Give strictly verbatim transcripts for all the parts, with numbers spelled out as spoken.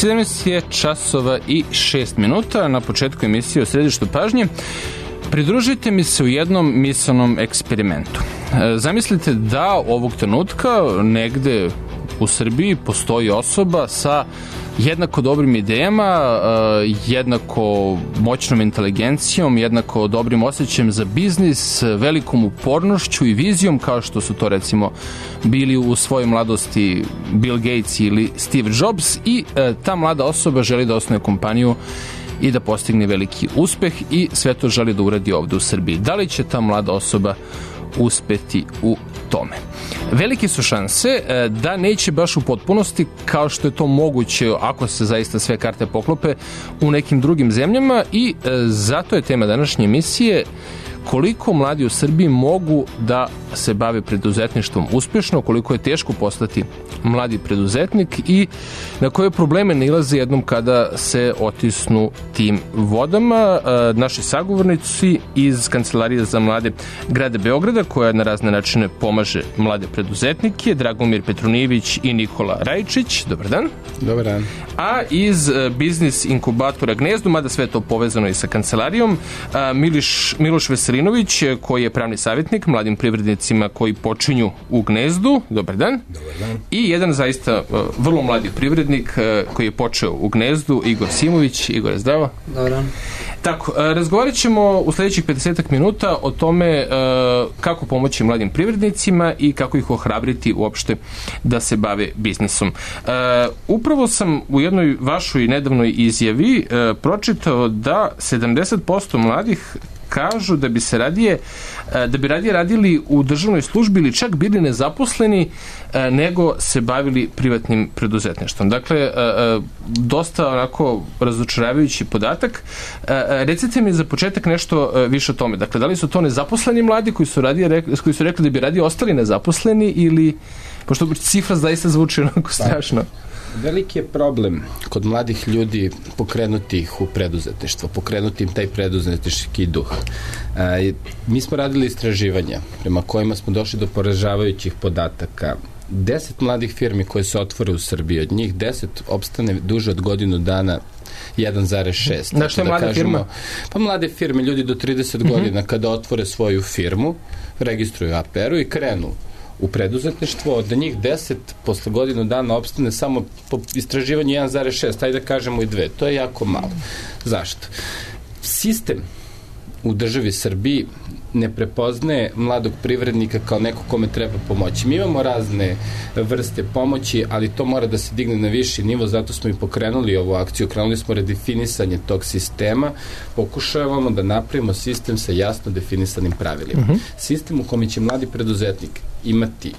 sedamnaest je časova i šest minuta. Na početku emisije o središtu pažnje pridružite mi se u jednom misaonom eksperimentu. Zamislite da ovog trenutka negde u Srbiji postoji osoba sa jednako dobrim idejama, jednako moćnom inteligencijom, jednako dobrim osjećajem za biznis, velikom upornošću i vizijom, kao što su to recimo bili u svojoj mladosti Bill Gates ili Steve Jobs, i ta mlada osoba želi da osnuje kompaniju i da postigne veliki uspeh i sve to želi da uradi ovde u Srbiji. Da li će ta mlada osoba uspeti u tome? Velike su šanse da neće baš u potpunosti, kao što je to moguće ako se zaista sve karte poklope u nekim drugim zemljama, i zato je tema današnje emisije koliko mladi u Srbiji mogu da se bave preduzetništvom uspešno, koliko je teško postati mladi preduzetnik i na koje probleme nailaze jednom kada se otisnu tim vodama. Naši sagovornici iz Kancelarije za mlade grada Beograda, koja na razne načine pomaže mlade preduzetnike, Dragomir Petronijević i Nikola Rajčić. Dobar dan. Dobar dan. A iz biznis inkubatora Gnezdo, mada sve to povezano i sa kancelarijom, Miliš, Miloš Veselinović, koji je pravni savjetnik mladim privrednicima koji počinju u Gnezdu. Dobar dan. Dobar dan. I jedan zaista uh, vrlo mladi privrednik uh, koji je počeo u Gnezdu, Igor Simović. Igor, zdravo. Dobar dan. Tako, uh, razgovarat ćemo u sledećih pedesetak minuta o tome uh, kako pomoći mladim privrednicima i kako ih ohrabriti uopšte da se bave biznisom. Uh, upravo sam u jednoj vašoj nedavnoj izjavi uh, pročitao da sedamdeset posto mladih kažu da bi se radije da bi radije radili u državnoj službi ili čak bili nezaposleni nego se bavili privatnim preduzetništvom. Dakle, dosta onako razočaravajući podatak. Recite mi za početak nešto više o tome. Dakle, da li su to nezaposleni mladi koji su, radije, koji su rekli da bi radije ostali nezaposleni, ili, pošto cifra zaista zvuči onako strašno? Veliki je problem kod mladih ljudi pokrenuti ih u preduzetništvo, pokrenuti im taj preduzetnički duh. E, mi smo radili istraživanja prema kojima smo došli do poražavajućih podataka. Deset mladih firmi koje se otvore u Srbiji, od njih deset opstane duže od godinu dana jedan zarez šest. Na što je mlada firma? Pa mlade firme, ljudi do trideset mm-hmm. godina kada otvore svoju firmu, registruju A P R-u i krenu u preduzetništvo, od njih deset posle godinu dana opstane samo po istraživanju jedan zarez šest, ajde da kažemo i dve. To je jako malo. Zašto? Sistem u državi Srbiji ne prepoznaje mladog privrednika kao neko kome treba pomoći. Mi imamo razne vrste pomoći, ali to mora da se digne na viši nivo, zato smo i pokrenuli ovu akciju. Krenuli smo redefinisanje tog sistema, pokušavamo da napravimo sistem sa jasno definisanim pravilima. Uh-huh. Sistem u kome će mladi preduzetnik imati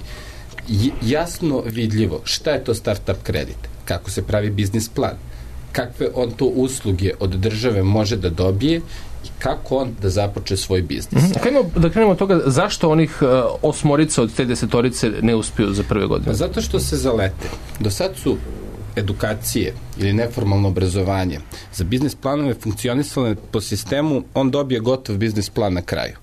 jasno vidljivo šta je to startup kredit, kako se pravi biznis plan, kakve on to usluge od države može da dobije i kako on da započe svoj biznis. Mm-hmm. Kajmo da krenemo od toga, zašto onih uh, osmorica od te desetorice ne uspiju za prve godine? Zato što se zalete. Do sad su edukacije ili neformalno obrazovanje za biznis planove funkcionisale po sistemu on dobije gotov biznis plan na kraju.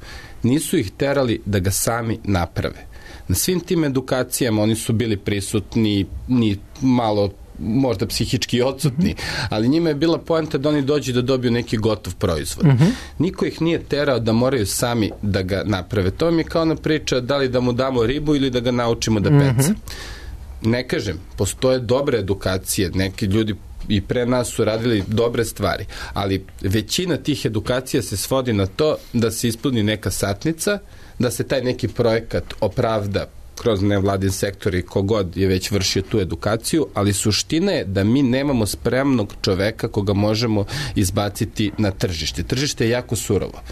Nisu ih terali da ga sami naprave. Na svim tim edukacijama oni su bili prisutni, ni malo možda psihički odsutni, ali njima je bila poenta da oni dođu da dobiju neki gotov proizvod. Uh-huh. Niko ih nije terao da moraju sami da ga naprave. To mi je kao ona priča da li da mu damo ribu ili da ga naučimo da peca. Uh-huh. Ne kažem, postoje dobre edukacije, neki ljudi i pre nas su radili dobre stvari, ali većina tih edukacija se svodi na to da se ispuni neka satnica, da se taj neki projekat opravda kroz nevladin sektor i kogod je već vršio tu edukaciju, ali suština je da mi nemamo spremnog čoveka koga možemo izbaciti na tržište. Tržište je jako surovo.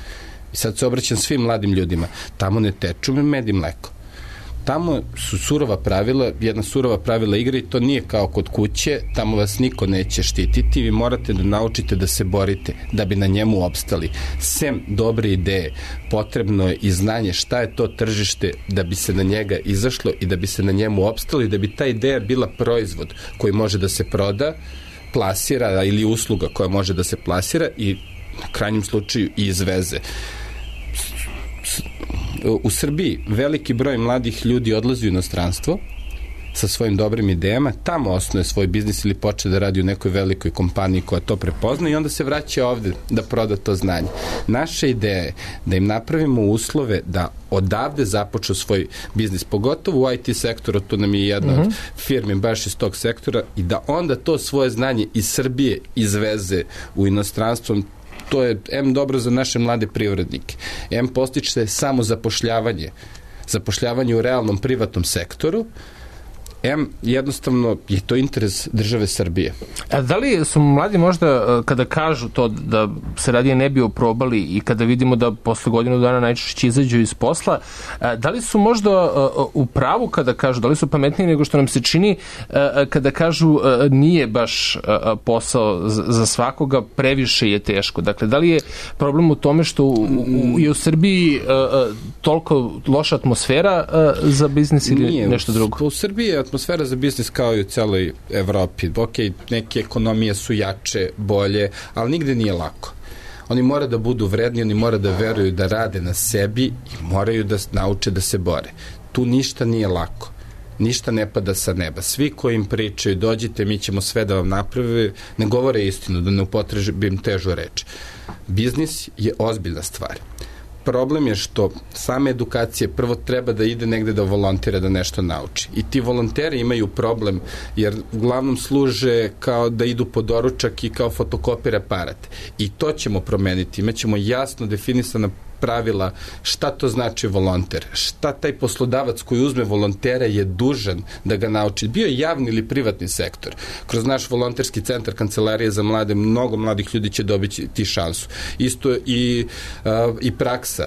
I sad se obraćam svim mladim ljudima. Tamo ne teču med i mleko. Tamo su surova pravila, jedna surova pravila igre i to nije kao kod kuće, tamo vas niko neće štititi, vi morate da naučite da se borite, da bi na njemu opstali. Sem dobre ideje, potrebno je i znanje šta je to tržište da bi se na njega izašlo i da bi se na njemu opstalo i da bi ta ideja bila proizvod koji može da se proda, plasira ili usluga koja može da se plasira i na krajnjem slučaju i izveze. U Srbiji veliki broj mladih ljudi odlazi u inostranstvo sa svojim dobrim idejama, tamo osnuje svoj biznis ili počne da radi u nekoj velikoj kompaniji koja to prepozna i onda se vraća ovde da proda to znanje. Naša ideja je da im napravimo uslove da odavde započnu svoj biznis, pogotovo u I T sektoru, to nam je jedna mm-hmm. od firmi baš iz tog sektora, i da onda to svoje znanje iz Srbije izveze u inostranstvo. To je em dobro za naše mlade privrednike, em postiče samo zapošljavanje, zapošljavanje u realnom privatnom sektoru, em jednostavno je to interes države Srbije. A da li su mladi možda, kada kažu to da se radije ne bi oprobali i kada vidimo da posle godinu dana najčešće izađu iz posla, da li su možda u pravu kada kažu, da li su pametniji nego što nam se čini kada kažu nije baš posao za svakoga, previše je teško? Dakle, da li je problem u tome što u, u, je u Srbiji toliko loša atmosfera za biznis ili nije, nešto drugo? U Srbiji je atmosfera za biznis kao i u celoj Evropi. Ok, neke ekonomije su jače, bolje, ali nigde nije lako. Oni moraju da budu vredni, oni moraju da veruju da rade na sebi i moraju da nauče da se bore. Tu ništa nije lako. Ništa ne pada sa neba. Svi koji im pričaju, dođite, mi ćemo sve da vam naprave, ne govore istinu, da ne upotrebim težu reč. Biznis je ozbiljna stvar. Problem je što same edukacije prvo treba da ide negde da volontira, da nešto nauči. I ti volonteri imaju problem, jer uglavnom služe kao da idu po doručak i kao fotokopir aparat. I to ćemo promeniti. Imaćemo jasno definisana pravila šta to znači volonter, šta taj poslodavac koji uzme volontera je dužan da ga nauči. Bio je javni ili privatni sektor. Kroz naš volonterski centar Kancelarije za mlade, mnogo mladih ljudi će dobiti šansu. Isto i, uh, i praksa.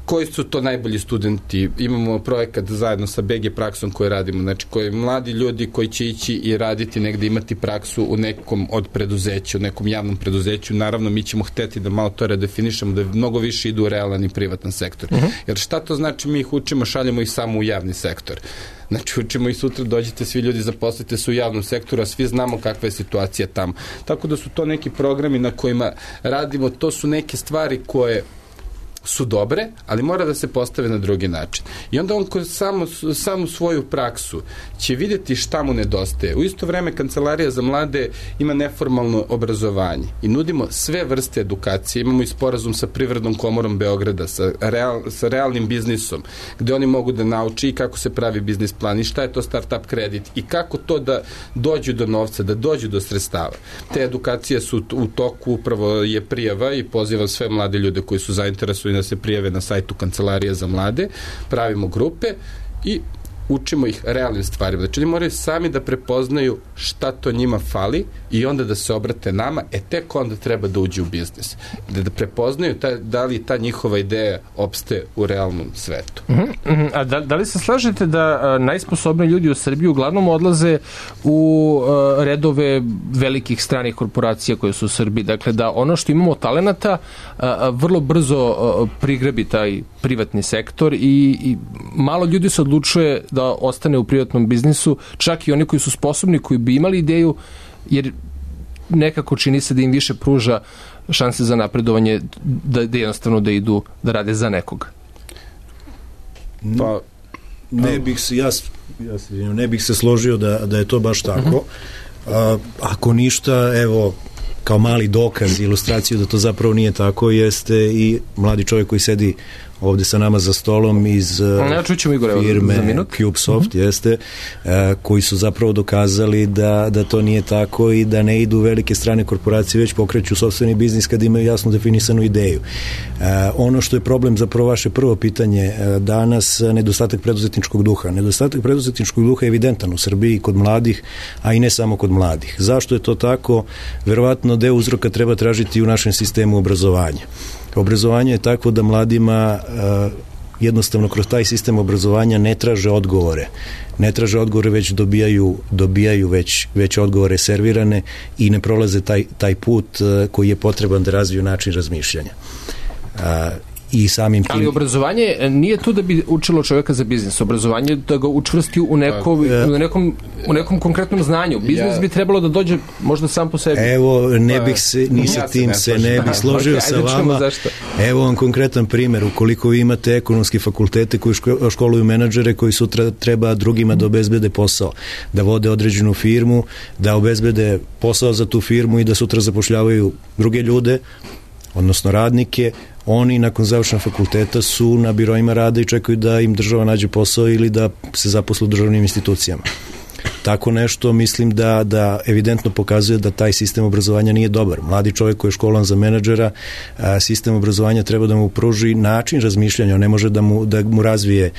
Koji su to najbolji studenti? Imamo projekat zajedno sa B G praksom koji radimo, znači koji mladi ljudi koji će ići i raditi negde, imati praksu u nekom od preduzeća, u nekom javnom preduzeću. Naravno, mi ćemo hteti da malo to redefinišemo, da mnogo više idu u realan i privatan sektor. Uh-huh. Jer šta to znači? Mi ih učimo, šaljemo ih samo u javni sektor. Znači, učimo i sutra, dođete svi ljudi, zaposlite se u javnom sektoru, a svi znamo kakva je situacija tamo. Tako da su to neki programi na kojima radimo, to su neke stvari koje su dobre, ali mora da se postave na drugi način. I onda on kroz samo, samo svoju praksu će vidjeti šta mu nedostaje. U isto vreme Kancelarija za mlade ima neformalno obrazovanje i nudimo sve vrste edukacije. Imamo i sporazum sa Privrednom komorom Beograda, sa, real, sa realnim biznisom, gde oni mogu da nauči i kako se pravi biznis plan i šta je to startup kredit i kako to da dođu do novca, da dođu do sredstava. Te edukacije su u toku, upravo je prijava i pozivam sve mlade ljude koji su zainteresovani da se prijave na sajtu Kancelarije za mlade, pravimo grupe i učimo ih realnim stvarima. Znači, oni moraju sami da prepoznaju šta to njima fali i onda da se obrate nama, e tek onda treba da uđe u biznis. Da, da prepoznaju ta, da li ta njihova ideja opstaje u realnom svetu. Uh-huh. A da, da li se slažete da a, najsposobniji ljudi u Srbiji uglavnom odlaze u a, redove velikih stranih korporacija koje su u Srbiji? Dakle, da ono što imamo talenata a, a, vrlo brzo a, prigrabi taj privatni sektor i, i malo ljudi se odlučuje da ostane u privatnom biznisu, čak i oni koji su sposobni, koji bi imali ideju, jer nekako čini se da im više pruža šanse za napredovanje, da, da jednostavno da idu da rade za nekoga. Pa, ne bih se, ja, ja se, ne bih se složio da, da je to baš tako. Uh-huh. A, ako ništa, evo, kao mali dokaz, ilustraciju da to zapravo nije tako, jeste i mladi čovjek koji sedi ovde sa nama za stolom iz ja čućemo, Igor, firme CubeSoft, uh-huh. jeste, uh, koji su zapravo dokazali da, da to nije tako i da ne idu velike strane korporacije, već pokreću sopstveni biznis kad imaju jasno definisanu ideju. Uh, ono što je problem, zapravo vaše prvo pitanje, uh, danas nedostatak preduzetničkog duha. Nedostatak preduzetničkog duha je evidentan u Srbiji kod mladih, a i ne samo kod mladih. Zašto je to tako? Verovatno deo uzroka treba tražiti u našem sistemu obrazovanja. Obrazovanje je takvo da mladima uh, jednostavno kroz taj sistem obrazovanja ne traže odgovore. Ne traže odgovore, već dobijaju, dobijaju već, već odgovore servirane i ne prolaze taj, taj put uh, koji je potreban da razviju način razmišljanja. Uh, i samim tim... Ali obrazovanje nije tu da bi učilo čovjeka za biznis. Obrazovanje je da ga učvrsti u, neko, u, nekom, u nekom konkretnom znanju. Biznis ja, bi trebalo da dođe možda sam po sebi. Evo, ne bih se, ni sa ja tim se ne, se ne bih složio okay, sa vama. Evo vam konkretan primjer. Ukoliko vi imate ekonomski fakultete koji školuju menadžere koji sutra treba drugima da obezbede posao, da vode određenu firmu, da obezbede posao za tu firmu i da sutra zapošljavaju druge ljude, odnosno radnike, oni nakon završenog fakulteta su na biroima rada i čekaju da im država nađe posao ili da se zaposle u državnim institucijama. Tako nešto mislim da, da evidentno pokazuje da taj sistem obrazovanja nije dobar. Mladi čovjek koji je školan za menadžera, sistem obrazovanja treba da mu pruži način razmišljanja, on ne može da mu, da mu razvije,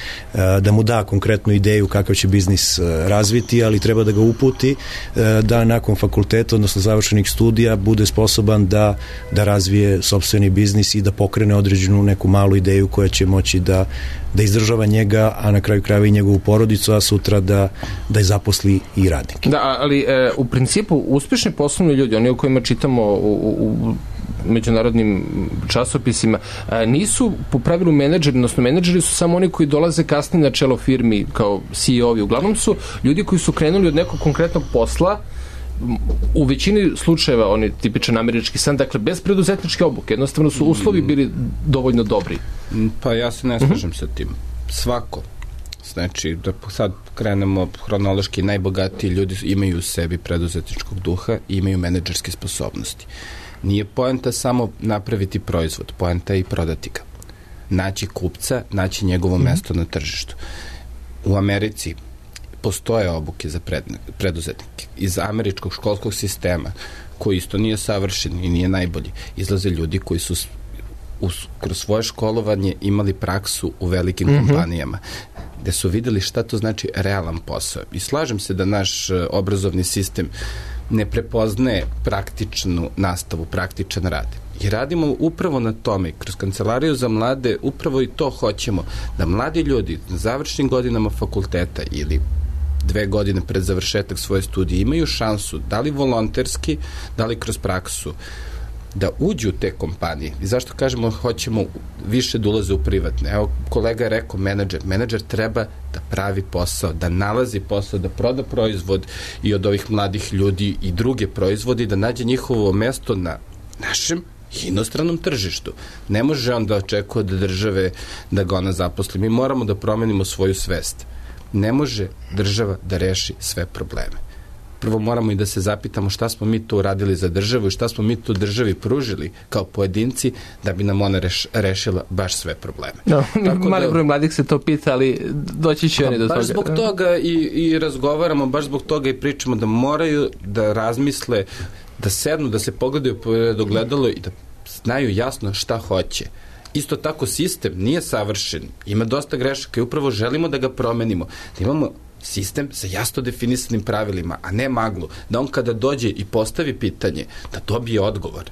da mu da konkretnu ideju kakav će biznis razviti, ali treba da ga uputi da nakon fakulteta, odnosno završenih studija, bude sposoban da, da razvije sopstveni biznis i da pokrene određenu neku malu ideju koja će moći da, da izdržava njega, a na kraju krajeva i njegovu porodicu, a sutra da, da je zaposli i radnike. Da, ali e, u principu uspešni poslovni ljudi, oni o kojima čitamo u, u, u međunarodnim časopisima, e, nisu po pravilu menadžeri, odnosno menadžeri su samo oni koji dolaze kasnije na čelo firmi kao C E O-vi. Uglavnom su ljudi koji su krenuli od nekog konkretnog posla, u većini slučajeva oni tipičan američki san, dakle bez preduzetničke obuke, jednostavno su uslovi bili dovoljno dobri. Pa ja se ne slažem sa tim. Svako. Znači, da sad krenemo hronološki, najbogatiji ljudi imaju u sebi preduzetničkog duha i imaju menadžerske sposobnosti. Nije poenta samo napraviti proizvod, poenta je i prodati ga. Naći kupca, naći njegovo mesto na tržištu. U Americi postoje obuke za pred, preduzetnike. Iz američkog školskog sistema, koji isto nije savršen i nije najbolji, izlaze ljudi koji su uz, kroz svoje školovanje imali praksu u velikim mm-hmm. kompanijama, gde su videli šta to znači realan posao. I slažem se da naš obrazovni sistem ne prepoznaje praktičnu nastavu, praktičan rad. I radimo upravo na tome, kroz Kancelariju za mlade, upravo i to hoćemo, da mladi ljudi na završnim godinama fakulteta ili dve godine pred završetak svoje studije imaju šansu, da li volonterski, da li kroz praksu, da uđu u te kompanije. I zašto kažemo hoćemo više da ulaze u privatne? Evo, kolega je rekao menadžer. Menadžer treba da pravi posao, da nalazi posao, da proda proizvod i od ovih mladih ljudi i druge proizvode i da nađe njihovo mesto na našem inostranom tržištu. Ne može on da očekuje od države da ga ona zaposli. Mi moramo da promenimo svoju svest. Ne može država da reši sve probleme. Prvo moramo i da se zapitamo šta smo mi to uradili za državu i šta smo mi tu državi pružili kao pojedinci da bi nam ona reš, rešila baš sve probleme. No, mali da, broj mladih se to pita, ali doći će oni do toga. Baš zbog toga i, i razgovaramo, baš zbog toga i pričamo da moraju da razmisle, da sednu, da se pogledaju pored ogledalo i da znaju jasno šta hoće. Isto tako sistem nije savršen, ima dosta grešaka i upravo želimo da ga promenimo, da imamo sistem sa jasno definisanim pravilima, a ne maglu, da on kada dođe i postavi pitanje, da dobije odgovor.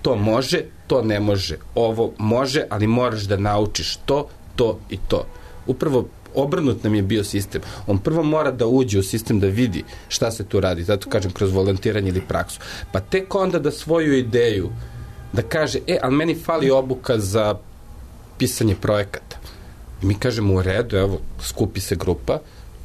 To može, to ne može, ovo može, ali moraš da naučiš to, to i to. Upravo obrnut nam je bio sistem. On prvo mora da uđe u sistem da vidi šta se tu radi, zato kažem kroz volontiranje ili praksu. Pa tek onda da svoju ideju da kaže, e, ali meni fali obuka za pisanje projekata. I mi kažemo u redu, evo, skupi se grupa,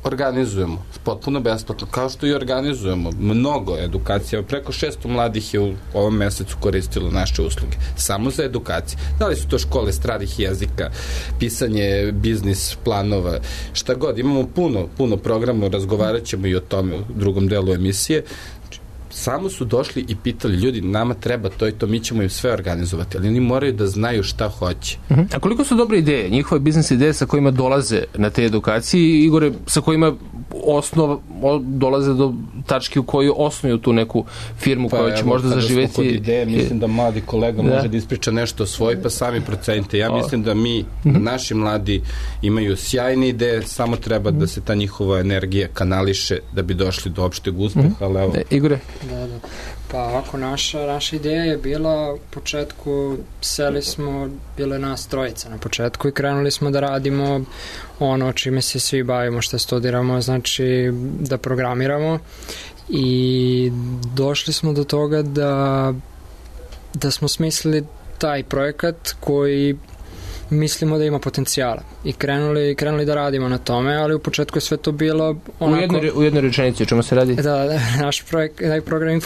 organizujemo, potpuno besplatno, kao što i organizujemo mnogo edukacija, preko šesto mladih je u ovom mesecu koristilo naše usluge, samo za edukacije. Da li su to škole stranih jezika, pisanje biznis planova, šta god, imamo puno, puno programa, razgovarat ćemo i o tome u drugom delu emisije. Samo su došli i pitali, ljudi, nama treba to i to, mi ćemo im sve organizovati, ali oni moraju da znaju šta hoće. Uh-huh. A koliko su dobre ideje, njihove biznis ideje sa kojima dolaze na te edukacije, Igore, sa kojima osnov, dolaze do tačke u kojoj osnuju tu neku firmu pa koja će evo, možda zaživeti? Pa evo, kada smo kod ideje, mislim da mladi kolega da. može da ispriča nešto o svoj, pa sami procenite. Ja mislim da mi, uh-huh. naši mladi, imaju sjajne ideje, samo treba uh-huh. da se ta njihova energija kanališe da bi došli do opšteg uspeha, uh-huh. ali evo... Da, Igore? Da, da. Pa ovako, naša, naša ideja je bila, u početku seli smo, bile nas trojica na početku i krenuli smo da radimo ono čime se svi bavimo, što studiramo, znači da programiramo i došli smo do toga da, da smo smislili taj projekat koji mislimo da ima potencijala i krenuli, krenuli da radimo na tome, ali u početku je sve to bilo onako... U jednoj, u jednoj rečenici, o čemu se radi? Da, da, naš projekt, taj program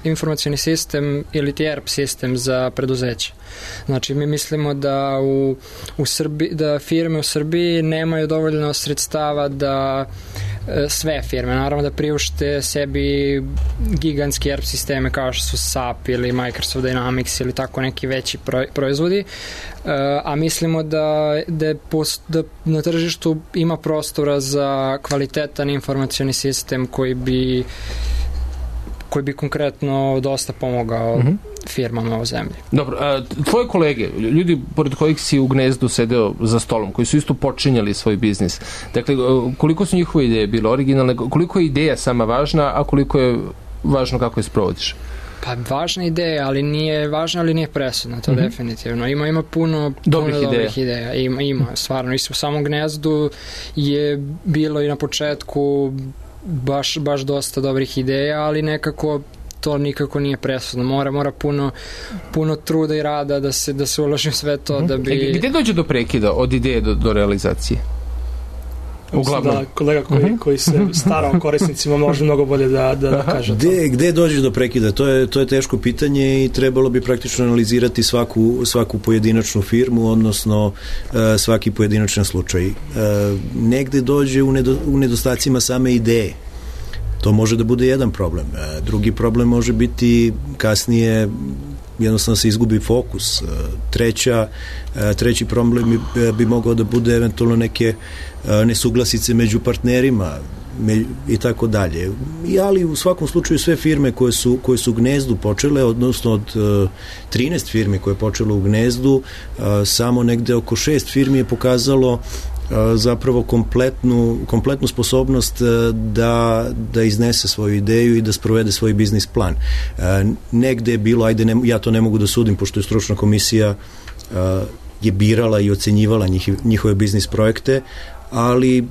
informacioni sistem ili ti E R P sistem za preduzeće. Znači, mi mislimo da u, u Srbiji, da firme u Srbiji nemaju dovoljno sredstava da sve firme, naravno da priušte sebi gigantski E R P sisteme kao što su S A P ili Microsoft Dynamics ili tako neki veći proizvodi, a mislimo da, da, post, da na tržištu ima prostora za kvalitetan informacioni sistem koji bi koji bi konkretno dosta pomogao uh-huh. firmama u zemlji. Dobro, a tvoje kolege, ljudi pored kojih si u Gnezdu sedeo za stolom, koji su isto počinjali svoj biznis, dakle, koliko su njihove ideje bile originalne, koliko je ideja sama važna, a koliko je važno kako je sprovodiš? Pa važna ideja, ali nije važna, ali nije presudna, to mm-hmm. definitivno. Ima ima puno, dobrih, puno ideja. dobrih ideja. Ima, ima, stvarno. U samom Gnezdu je bilo i na početku baš, baš dosta dobrih ideja, ali nekako to nikako nije presudno. Mora, mora puno, puno truda i rada da se, da se uloži u sve to, mm-hmm. da bi... E, gde dođe do prekida od ideje do, do realizacije? Uglavnom. Da, kolega koji, uh-huh. koji se stara o korisnicima može mnogo bolje da, da, da kaže gde, gde dođe do prekida? To je, to je teško pitanje i trebalo bi praktično analizirati svaku, svaku pojedinačnu firmu, odnosno uh, svaki pojedinačan slučaj. Uh, negde dođe u, nedo, u nedostacima same ideje. To može da bude jedan problem. Uh, drugi problem može biti kasnije jednostavno se izgubi fokus. Treća, treći problem bi, bi mogao da bude eventualno neke nesuglasice među partnerima i tako dalje. Ali u svakom slučaju sve firme koje su, koje su u Gnezdu počele, odnosno od trinaest firmi koje je počelo u Gnezdu, samo negde oko šest firmi je pokazalo zapravo kompletnu, kompletnu sposobnost da, da iznese svoju ideju i da sprovede svoj biznis plan. Negde je bilo, ajde, ne, ja to ne mogu da sudim, pošto je stručna komisija je birala i ocenjivala njih, njihove biznis projekte, ali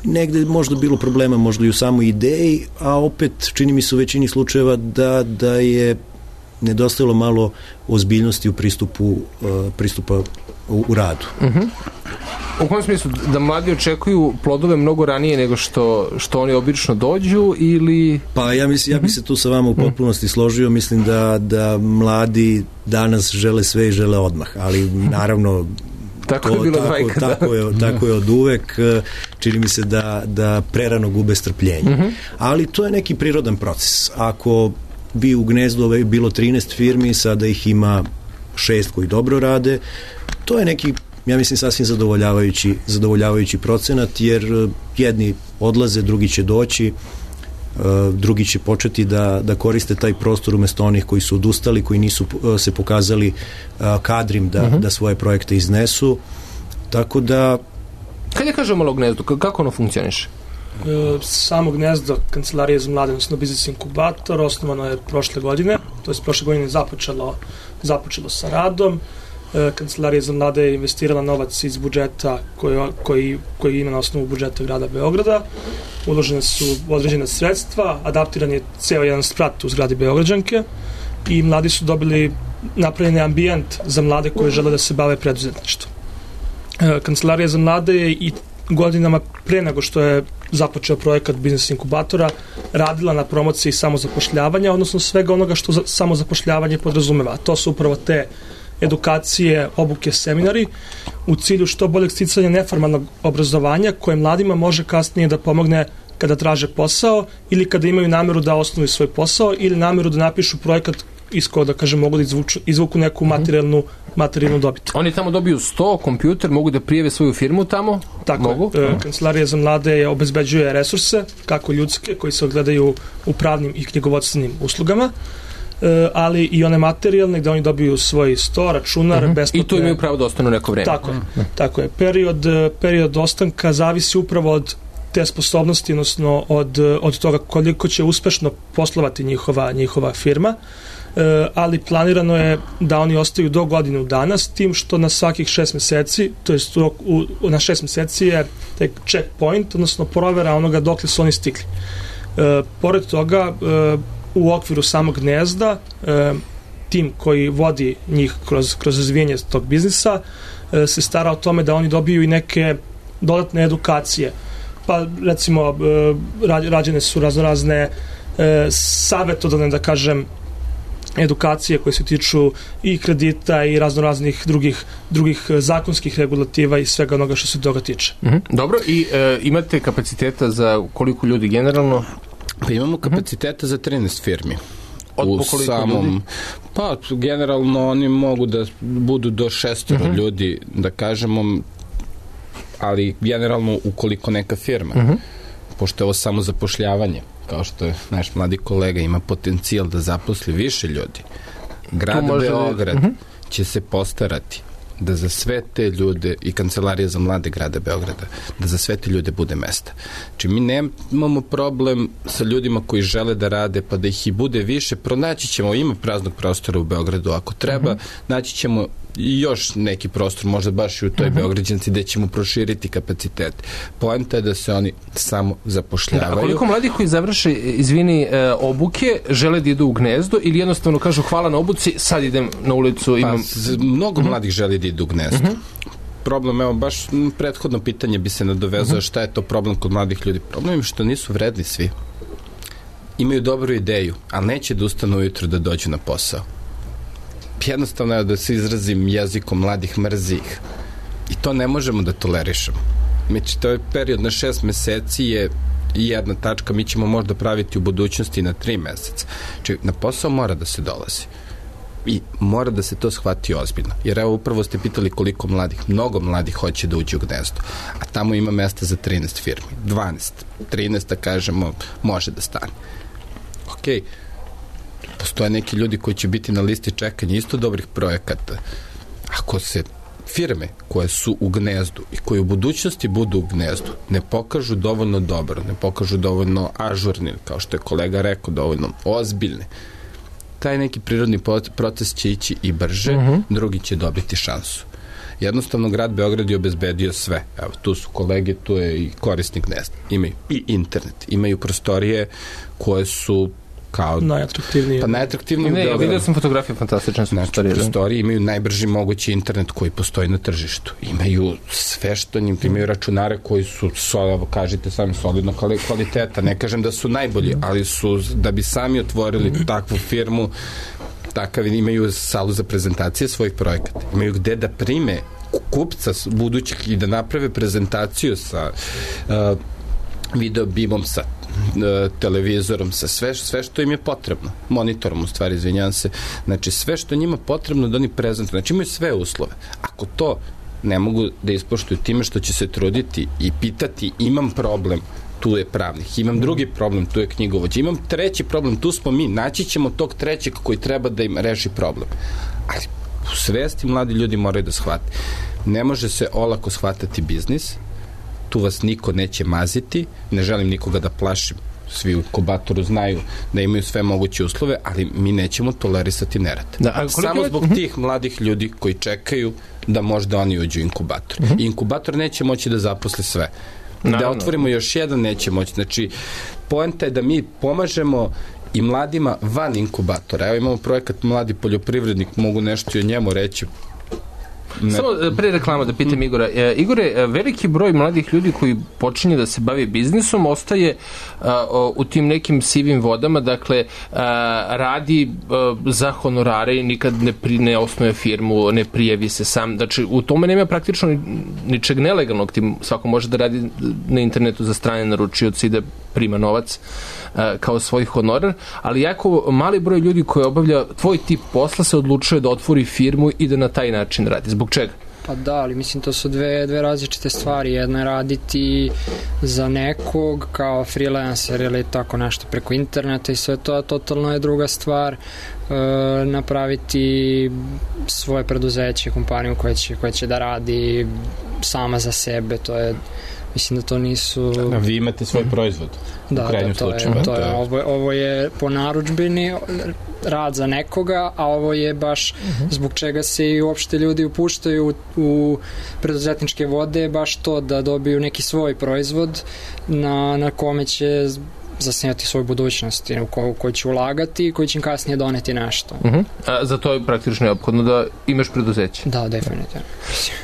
negde je možda bilo problema, možda i u samoj ideji, a opet čini mi se u većini slučajeva da, da je nedostajalo malo ozbiljnosti u pristupu, pristupa u, u radu. Uh-huh. U kojem smislu? Da mladi očekuju plodove mnogo ranije nego što, što oni obično dođu ili... Pa ja, mislim, ja bih se tu sa vama u potpunosti složio. Mislim da, da mladi danas žele sve i žele odmah, ali naravno tako, to, je bilo tako, tako, je, tako je od uvek. Čini mi se da, da prerano gube strpljenje. Uh-huh. Ali to je neki prirodan proces. Ako bi u Gnezdu bilo trinaest firmi, sada ih ima šest koji dobro rade, to je neki, ja mislim, sasvim zadovoljavajući, zadovoljavajući procenat, jer jedni odlaze, drugi će doći, drugi će početi da, da koriste taj prostor umesto onih koji su odustali, koji nisu se pokazali kadrim da, uh-huh. da svoje projekte iznesu. Tako da... Kad je kažemo malo o Gnezdu, kako ono funkcioniše? E, samo Gnezdo, Kancelarija za mlade, odnosno Biznis Inkubator, osnovano je prošle godine, to je prošle godine započelo, započelo sa radom. E, Kancelarija za mlade je investirala novac iz budžeta koji, koji, koji ima na osnovu budžeta grada Beograda. Uložene su određene sredstva, adaptiran je ceo jedan sprat u zgradi Beograđanke i mladi su dobili napravljeni ambijent za mlade koji žele da se bave preduzetništvom. E, Kancelarija za mlade je i godinama pre nego što je započeo projekat Biznis Inkubatora radila na promociji samozapošljavanja, odnosno svega onoga što za, samozapošljavanje podrazumeva. To su upravo te edukacije, obuke, seminari u cilju što boljeg sticanja neformalnog obrazovanja koje mladima može kasnije da pomogne kada traže posao ili kada imaju nameru da osnuju svoj posao ili nameru da napišu projekat iz koja, da kažem, mogu da izvuču, izvuku neku materijalnu, materijalnu dobit. Oni tamo dobiju sto, kompjuter, mogu da prijave svoju firmu tamo? Tako mogu? je. E, Kancelarija za mlade je obezbeđuje resurse, kako ljudske, koji se ogledaju u pravnim i knjigovodstvenim uslugama, e, ali i one materijalne, gde oni dobiju svoj sto, računar, uh-huh. besplatne... I tu imaju pravo da ostanu neko vreme. Tako je. Uh-huh. Tako je. Period, period ostanka zavisi upravo od te sposobnosti, odnosno od, od toga koliko će uspešno poslovati njihova, njihova firma. E, ali planirano je da oni ostaju do godinu dana, s tim što na svakih šest meseci, to jest u, u, na šest meseci je taj checkpoint, odnosno provera onoga dokle su oni stigli. E, pored toga, e, u okviru samog Gnezda, e, tim koji vodi njih kroz, kroz razvijenje tog biznisa e, se stara o tome da oni dobiju i neke dodatne edukacije. Pa recimo e, rađene su razno razne e, savjetodavne, da kažem, edukacije koje se tiču i kredita i razno raznih drugih, drugih zakonskih regulativa i svega onoga što se toga tiče. Mm-hmm. Dobro, i e, imate kapaciteta za koliko ljudi generalno? Pa imamo kapaciteta mm-hmm. za trinaest firmi. Od u samom, ljudi? Pa generalno oni mogu da budu do šestoro mm-hmm. ljudi, da kažemo, ali generalno ukoliko neka firma, mm-hmm. pošto je ovo samo zapošljavanje, kao što je naš mladi kolega ima potencijal da zaposli više ljudi, grad Beograd da... uh-huh. će se postarati da za sve te ljude i Kancelarija za mlade grada Beograda, da za sve te ljude bude mesta. Znači mi nemamo problem sa ljudima koji žele da rade, pa da ih i bude više, pronaći ćemo, ima praznog prostora u Beogradu, ako treba, uh-huh. naći ćemo i još neki prostor, možda baš i u toj uh-huh. Beograđanci, gde ćemo proširiti kapacitet. Poenta je da se oni samo zapošljavaju. Da, a koliko mladih koji završe, izvini, e, obuke, žele da idu u Gnezdo ili jednostavno kažu hvala na obuci, sad idem na ulicu, imam... Pa, mnogo uh-huh. mladih želi da idu u Gnezdo. Uh-huh. Problem, evo, baš prethodno pitanje bi se nadovezao, uh-huh. šta je to problem kod mladih ljudi? Problem je što nisu vredni svi. Imaju dobru ideju, ali neće da ustanu ujutro da dođu na posao. Jednostavno je da se izrazim jezikom mladih mrzih i to ne možemo da tolerišemo. Znači, to je period na šest meseci je jedna tačka, mi ćemo možda praviti u budućnosti na tri meseca. Znači, na posao mora da se dolazi i mora da se to shvati ozbiljno. Jer evo, upravo ste pitali koliko mladih, mnogo mladih hoće da uđe u Gnezdo, a tamo ima mesta za trinaest firmi, dvanaest, trinaest, da kažemo, može da stane. Okej, okay. Postoje neki ljudi koji će biti na listi čekanja isto dobrih projekata. Ako se firme koje su u Gnezdu i koje u budućnosti budu u Gnezdu ne pokažu dovoljno dobro, ne pokažu dovoljno ažurni, kao što je kolega rekao, dovoljno ozbiljne, taj neki prirodni proces će ići i brže, uh-huh. drugi će dobiti šansu. Jednostavno, grad Beograd je obezbedio sve. Evo, tu su kolege, tu je i korisnik Gnezda. Imaju i internet, imaju prostorije koje su kao... Najatraktivnije. Pa najatraktivnije. Ne, vidio sam fotografije, fantastične su znači, prostorije. Prostorije imaju najbrži mogući internet koji postoji na tržištu. Imaju sve što njim, imaju računare koji su, so, kažete sami, solidno kvaliteta. Ne kažem da su najbolji, ali su, da bi sami otvorili takvu firmu, takav, imaju salu za prezentacije svojih projekata. Imaju gde da prime kupca budućih i da naprave prezentaciju sa uh, video bimom, sa televizorom, sa sve, sve što im je potrebno. Monitorom, u stvari, izvinjam se. Znači, sve što njima potrebno da oni prezentuju. Znači, imaju sve uslove. Ako to ne mogu da ispoštuju time što će se truditi i pitati, imam problem, tu je pravnik. Imam drugi problem, tu je knjigovođa. Imam treći problem, tu smo mi. Naći ćemo tog trećeg koji treba da im reši problem. Ali u svesti mladi ljudi moraju da shvate. Ne može se olako shvatati biznis, tu vas niko neće maziti, ne želim nikoga da plašim, svi u inkubatoru znaju da imaju sve moguće uslove, ali mi nećemo tolerisati nerad. Da, samo zbog uh-huh. tih mladih ljudi koji čekaju da možda oni uđu u inkubator. Uh-huh. I inkubator neće moći da zaposli sve. Naravno. Da otvorimo još jedan, neće moći. Znači, poenta je da mi pomažemo i mladima van inkubatora. Evo imamo projekat Mladi poljoprivrednik, mogu nešto i o njemu reći. Ne. Samo pre reklama da pitam Igora. E, Igore, veliki broj mladih ljudi koji počinje da se bavi biznisom ostaje a, o, u tim nekim sivim vodama, dakle a, radi a, za honorare i nikad ne, pri, ne osnuje firmu, ne prijavi se sam. Znači, u tome nema praktično ni, ničeg nelegalnog. Ti svako može da radi na internetu za strane naručioci i da prima novac a, kao svoj honorar, ali jako mali broj ljudi koji obavlja tvoj tip posla se odlučuje da otvori firmu i da na taj način radi. Zbog čega? Pa da, ali mislim to su dve, dve različite stvari. Jedna je raditi za nekog kao freelancer ili tako nešto preko interneta i sve to, a totalno je druga stvar e, napraviti svoje preduzeće, kompaniju koja će, koja će da radi sama za sebe. To je, mislim da to nisu... Da, vi imate svoj proizvod. Da, u krajnjem da, to slučaju. je, to je, ovo, ovo je po narudžbini rad za nekoga, a ovo je baš uh-huh. zbog čega se i uopšte ljudi upuštaju u, u preduzetničke vode, baš to da dobiju neki svoj proizvod na, na kome će zasnijati svoju budućnost u koju, koju će ulagati i koji će im kasnije doneti nešto. Uh-huh. A za to je praktično neophodno da imaš preduzeće. Da, definitivno.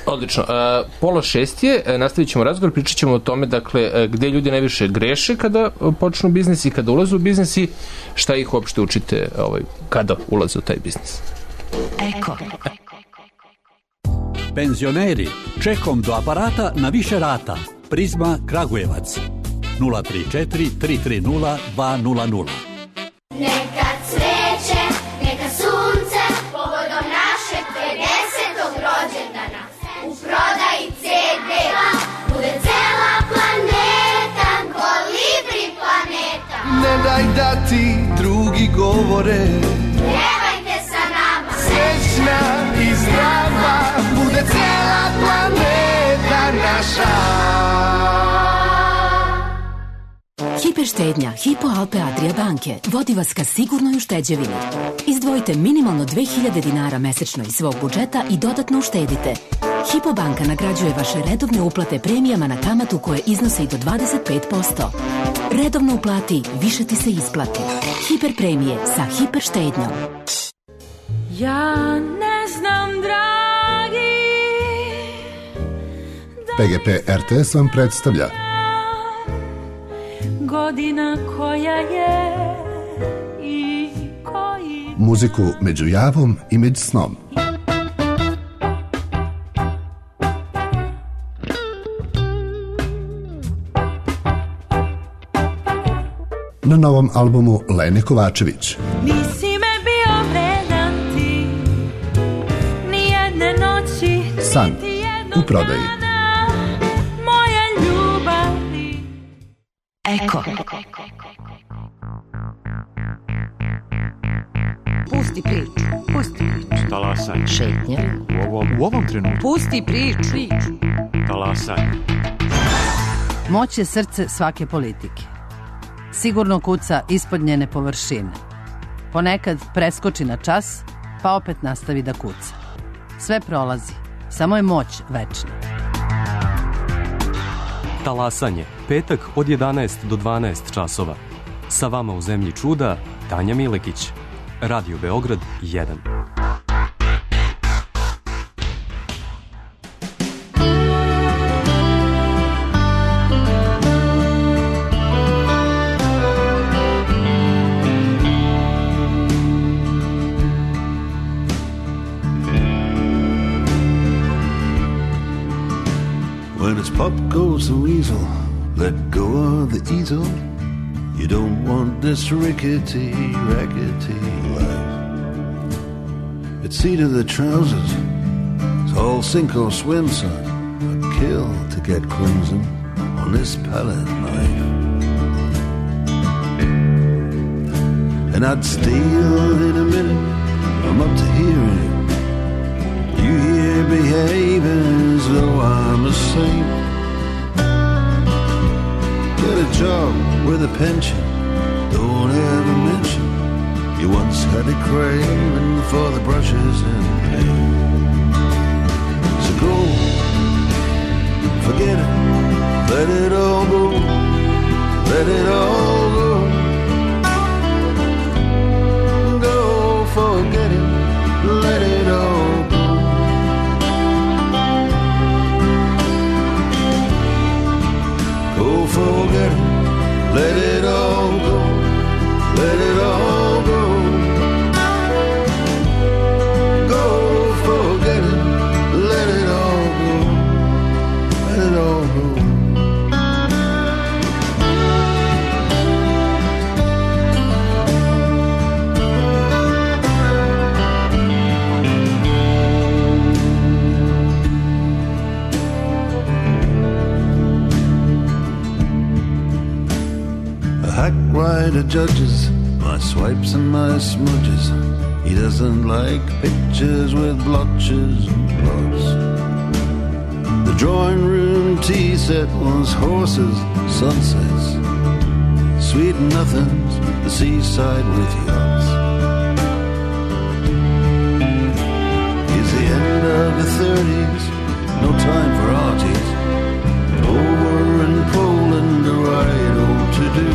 Odlično. A, pola šest je, nastavit ćemo razgovor, pričat ćemo o tome, dakle, gde ljudi najviše greše kada počnu biznis i kada ulaze u biznis i šta ih uopšte učite ovaj, kada ulaze u taj biznis. Eko. Penzioneri, čekom do aparata na više rata. Prizma Kragujevac. nula tri četiri tri tri nula dva nula nula. Neka cveće, neka sunce, povodom našeg pedesetog rođendana. U prodaji ce de bude cela planeta, Kolibri planeta. Ne daj da ti drugi govore, pjevajte sa nama. Srećna i zdrava bude cela planeta naša. Hiperštednja Hypo Alpe Adria banke vodi vas ka sigurnoj ušteđevini. Izdvojite minimalno dve hiljade dinara mesečno iz svog budžeta i dodatno uštedite. Hypo banka nagrađuje vaše redovne uplate premijama na kamatu koje iznose i do dvadeset pet posto. Redovno uplati, više ti se isplati. Hiper premije sa hiperštednjom. Ja ne znam, dragi, P G P R T S vam predstavlja godina koja je i koji... muziku među javom i među snom. Na novom albumu Lene Kovačević. Nisi me bio vredan ti, nijedne noći, San u prodaji. moje ljubavi. Eko. Pusti priču. Pusti priču. Talasaj. Šetnja. U ovom, u ovom trenutku. Pusti priču. Talasaj. Moć je srce svake politike. Sigurno kuca ispod njene površine. Ponekad preskoči na čas, pa opet nastavi da kuca. Sve prolazi, samo je moć večna. Talasanje. Petak od jedanaest do dvanaest časova. Sa vama u Zemlji čuda, Tanja Milekić. Radio Beograd jedan. When it's pop goes the weasel, let go of the easel. You don't want this rickety, rackety life. It's seat of the trousers, it's all sink or swim, son. I'd kill to get crimson on this palette knife. And I'd steal in a minute, I'm up to hearing it. You here behaving as though I'm a saint. Get a job with a pension, don't ever mention you once had a craving for the brushes and paint. So go, forget it, let it all go, let it all go. Go, forget it, let it all go. Go, forget it, let it all go, let it all go. Go, forget it, let it all go, let it all go. Hack-writer judges my swipes and my smudges. He doesn't like pictures with blotches and blots. The drawing room tea set was horses, sunsets, sweet nothings, the seaside with yachts. It's the end of the thirties, no time for arties. Over in Poland, a ride home to do.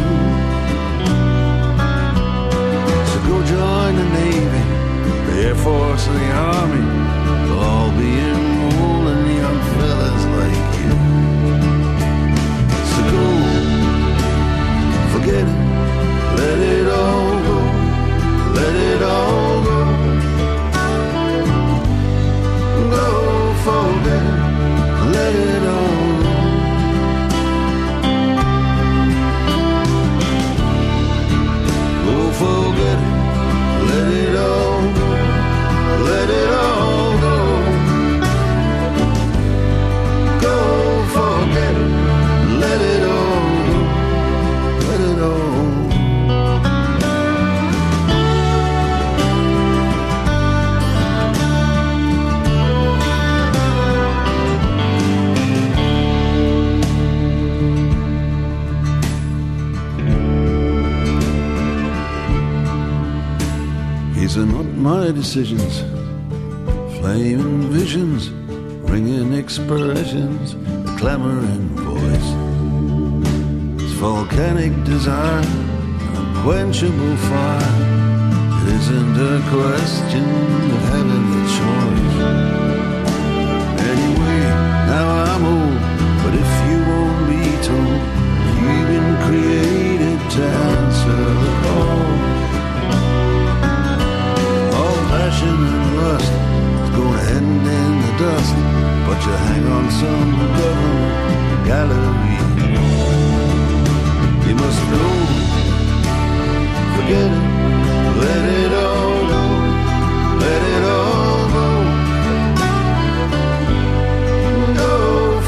my decisions, flaming visions, ringing expressions, a clamoring voice. It's volcanic desire, unquenchable fire. It isn't a question of having a choice. Anyway, now I'm old, but if you won't be told, you've been created to answer the call. All passion and lust is gonna end in the dust, but you hang on some government gallery. You must know, forget it, let it all go, let it all go. Go,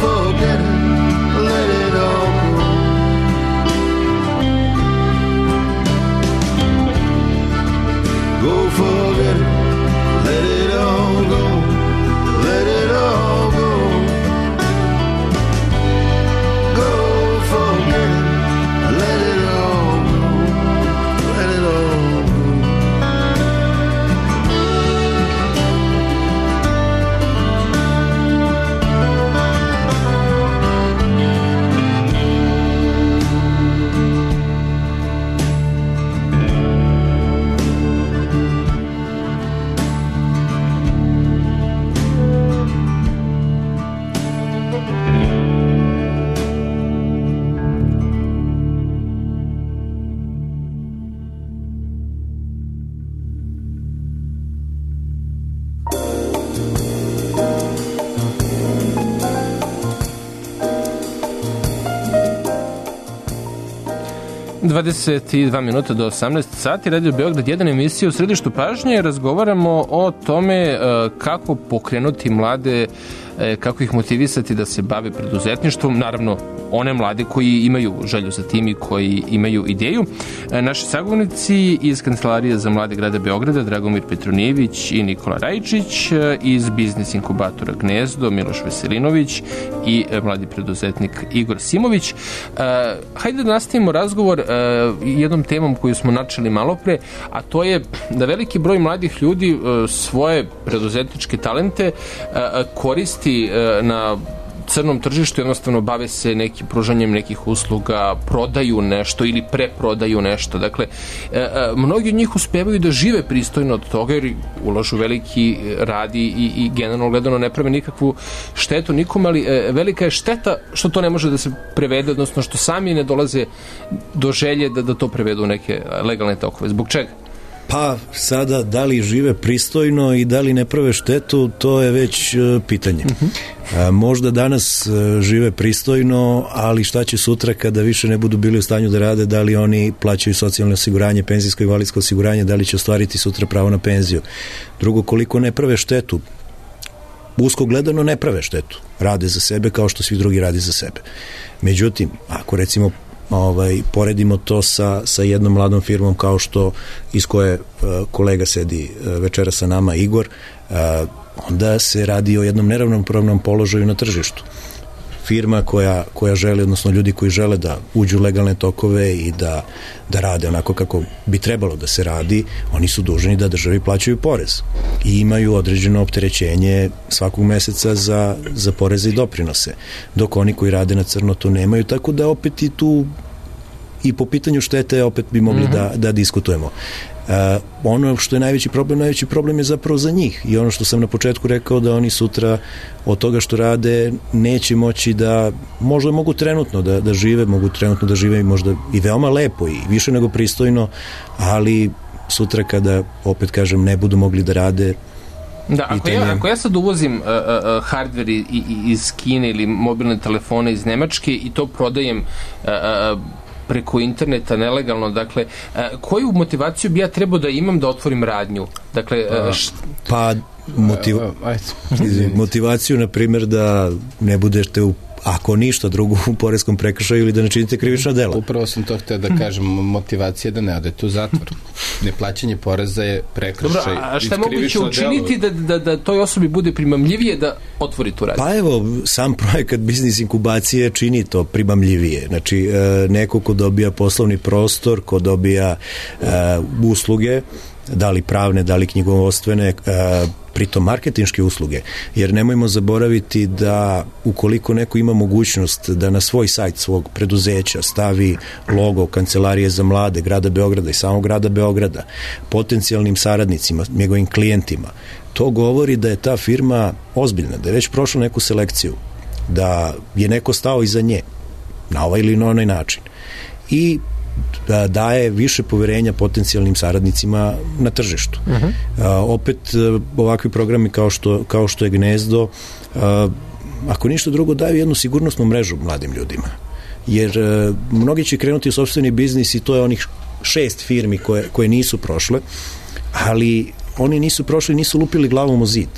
forget it, let it all go. Go, forget it, let it all go, let it all go. Go, forget it, let it all go, let it all go. dvadeset dva minuta do osamnaest sati, Radio Beograd jedan, emisija u središtu pažnje. Razgovaramo o tome kako pokrenuti mlade, kako ih motivisati da se bave preduzetništvom, naravno one mlade koji imaju želju za tim i koji imaju ideju. Naši sagovornici iz Kancelarije za mlade grada Beograda, Dragomir Petronijević i Nikola Rajičić, iz biznis inkubatora Gnezdo, Miloš Veselinović i mladi preduzetnik Igor Simović. Hajde da nastavimo razgovor jednom temom koju smo načeli malo pre, a to je da veliki broj mladih ljudi svoje preduzetničke talente koristi na crnom tržištu, jednostavno bave se nekim pružanjem nekih usluga, prodaju nešto ili preprodaju nešto. Dakle, mnogi od njih uspevaju da žive pristojno od toga jer ulažu veliki rad i, i generalno gledano ne prave nikakvu štetu nikom, ali velika je šteta što to ne može da se prevede, odnosno što sami ne dolaze do želje da, da to prevedu u neke legalne tokove. Zbog čega? Pa sada, da li žive pristojno i da li ne prave štetu, to je već uh, pitanje. Uh-huh. A, možda danas uh, žive pristojno, ali šta će sutra kada više ne budu bili u stanju da rade, da li oni plaćaju socijalno osiguranje, penzijsko i invalidsko osiguranje, da li će ostvariti sutra pravo na penziju. Drugo, koliko ne prave štetu, usko gledano ne prave štetu. Rade za sebe kao što svi drugi rade za sebe. Međutim, ako recimo Ovaj, poredimo to sa, sa jednom mladom firmom kao što iz koje uh, kolega sedi uh, večera sa nama, Igor, uh, onda se radi o jednom neravnopravnom položaju na tržištu. Firma koja, koja želi, odnosno ljudi koji žele da uđu u legalne tokove i da, da rade onako kako bi trebalo da se radi, oni su dužni da državi plaćaju porez i imaju određeno opterećenje svakog meseca za, za poreze i doprinose, dok oni koji rade na crno to nemaju, tako da opet i tu i po pitanju štete opet bi mogli mm-hmm. da, da diskutujemo. Uh, ono što je najveći problem, najveći problem je zapravo za njih i ono što sam na početku rekao da oni sutra od toga što rade neće moći da, možda mogu trenutno da, da žive, mogu trenutno da žive možda i veoma lepo i više nego pristojno, ali sutra kada, opet kažem, ne budu mogli da rade. Da, ako ja, ako ja sad uvozim uh, uh, hardver i, i, iz Kine ili mobilne telefone iz Nemačke i to prodajem uh, uh, preko interneta nelegalno, dakle, koju motivaciju bi ja trebao da imam da otvorim radnju? Dakle, št... pa motiv... motivaciju, na primjer, da ne budete u ako ništa drugo u poreskom prekršaju ili da ne činite krivično delo. Upravo sam to hteo da kažem, motivacija da ne odete u zatvor. Neplaćanje poreza je prekršaj. Dobro, a šta je moguće učiniti da, da, da toj osobi bude primamljivije da otvori tu radnju? Pa evo, sam projekat biznis inkubacije čini to primamljivije. Znači, neko ko dobija poslovni prostor, ko dobija uh, usluge, da li pravne, da li knjigovodstvene, pritom marketinške usluge, jer nemojmo zaboraviti da ukoliko neko ima mogućnost da na svoj sajt svog preduzeća stavi logo Kancelarije za mlade grada Beograda i samog grada Beograda, potencijalnim saradnicima, njegovim klijentima, to govori da je ta firma ozbiljna, da je već prošla neku selekciju, da je neko stao iza nje na ovaj ili na onaj način i da daje više poverenja potencijalnim saradnicima na tržištu. Uh-huh. A, opet ovakvi programi kao što, kao što je Gnezdo, a, ako ništa drugo, daju jednu sigurnosnu mrežu mladim ljudima, jer a, mnogi će krenuti u sopstveni biznis i to je onih šest firmi koje, koje nisu prošle, ali oni nisu prošli, nisu lupili glavom o zid,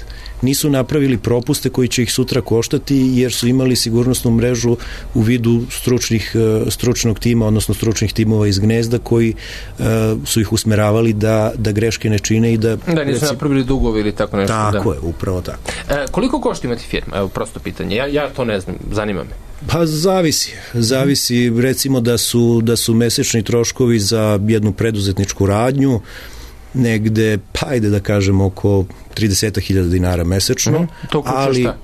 nisu napravili propuste koji će ih sutra koštati jer su imali sigurnosnu mrežu u vidu stručnih, stručnog tima, odnosno stručnih timova iz Gnezda koji uh, su ih usmeravali da, da greške ne čine i da... Da, nisu napravili dugovi ili tako nešto. Tako da. je, upravo tako. E, koliko košta imati firma? Evo, prosto pitanje. Ja, ja to ne znam, zanima me. Pa zavisi. Zavisi, recimo da su, da su mesečni troškovi za jednu preduzetničku radnju negde, pa ajde da kažemo oko trideset hiljada dinara mesečno, uh-huh. To uključuje ali šta?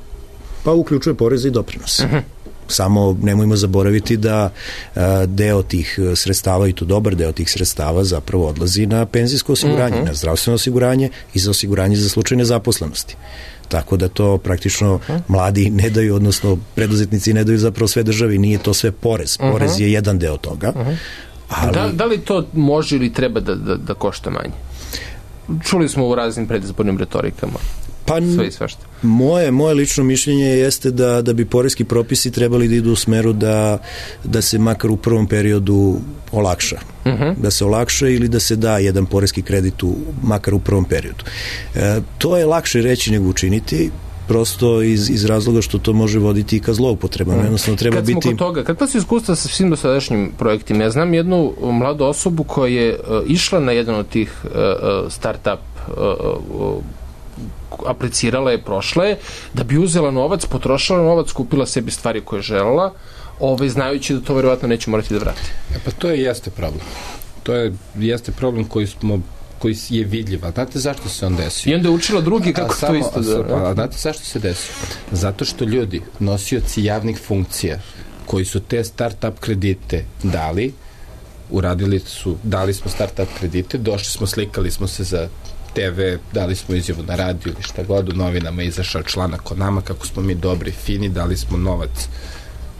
Pa uključuje poreze i doprinose. Uh-huh. Samo nemojmo zaboraviti da a, deo tih sredstava, i to dobar deo tih sredstava zapravo odlazi na penzijsko osiguranje, uh-huh. na zdravstveno osiguranje i za osiguranje za slučaj nezaposlenosti. Tako da to praktično uh-huh. mladi ne daju, odnosno preduzetnici ne daju zapravo sve državi, nije to sve porez. Porez uh-huh. je jedan deo toga. Uh-huh. Ali... Da, da li to može ili treba da, da, da košta manje? Čuli smo u raznim predizbornim retorikama. Pa, sve i svašta. Moje, moje lično mišljenje jeste da, da bi poreski propisi trebali da idu u smeru da, da se makar u prvom periodu olakša. Uh-huh. Da se olakša ili da se da jedan poreski kredit u, makar u prvom periodu. E, to je lakše reći nego učiniti, prosto iz, iz razloga što to može voditi i ka zloupotrebama. Jednostavno treba Kad smo biti... kod toga, kakva su iskustva sa svim dosadašnjim projektima? Ja znam jednu mladu osobu koja je uh, išla na jedan od tih uh, start-up uh, uh, aplicirala je, prošla je, da bi uzela novac, potrošila novac, kupila sebi stvari koje je želela, ovaj, znajući da to verovatno neće morati da vrati. E pa to je jeste problem. To je jeste problem koji smo koji je vidljiv. A znate zašto se on desio? I onda je učila drugi kako samo, to isto da... A, a znate zašto se desio? Zato što ljudi, nosioci javnih funkcija, koji su te start-up kredite dali, uradili su, dali smo start-up kredite, došli smo, slikali smo se za te ve, dali smo izjavu na radiju ili šta god, u novinama izašao članak o nama, kako smo mi dobri, fini, dali smo novac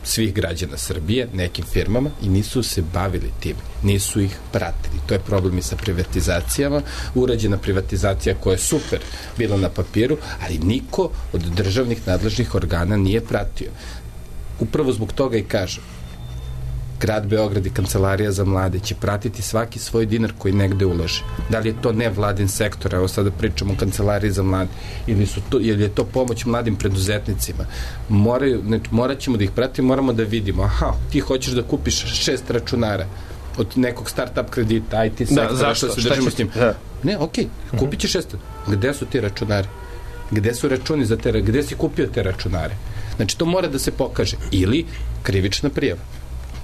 svih građana Srbije, nekim firmama i nisu se bavili tim, nisu ih pratili. To je problem i sa privatizacijama. Urađena privatizacija koja je super bila na papiru, ali niko od državnih nadležnih organa nije pratio. Upravo zbog toga i kažem, Grad Beograd i Kancelarija za mlade će pratiti svaki svoj dinar koji negde ulaže. Da li je to nevladin sektor, evo sada pričamo o Kancelariji za mlade, ili, su to, ili je to pomoć mladim preduzetnicima. Moraju, ne, morat ćemo da ih pratimo, moramo da vidimo, aha, ti hoćeš da kupiš šest računara od nekog start-up kredita, I T sektora, da, zašto? što se držimo s tim. Da. Ne, okej, okay, kupit ćeš šest. Gde su ti računari? Gde su računi za te, gde si kupio te računare? Znači, to mora da se pokaže. Ili krivična prijava.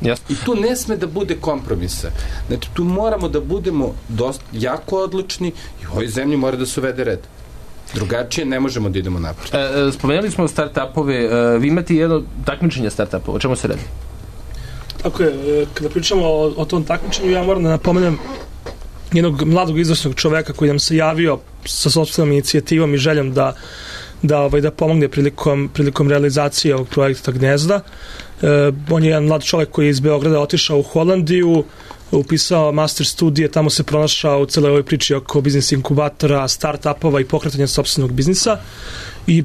Yes. I tu ne sme da bude kompromisa. Znači, tu moramo da budemo dosta, jako odlučni i u ovoj zemlji mora da se uvede red. Drugačije ne možemo da idemo napred. E, spomenuli smo start-upove. E, vi imate jedno takmičenje start-upova. O čemu se radi? Tako je. Kada pričamo o, o tom takmičenju, ja moram da napomenem jednog mladog izvrsnog čoveka koji nam se javio sa sopstvenom inicijativom i željom da da ovaj da pomogne prilikom prilikom realizacije ovog projekta Gnezda. E, on je jedan mlad čovjek koji je iz Beograda otišao u Holandiju, upisao master studije, tamo se pronašao u celoj ovoj priči oko biznis inkubatora, start-upova i pokretanja sopstvenog biznisa. I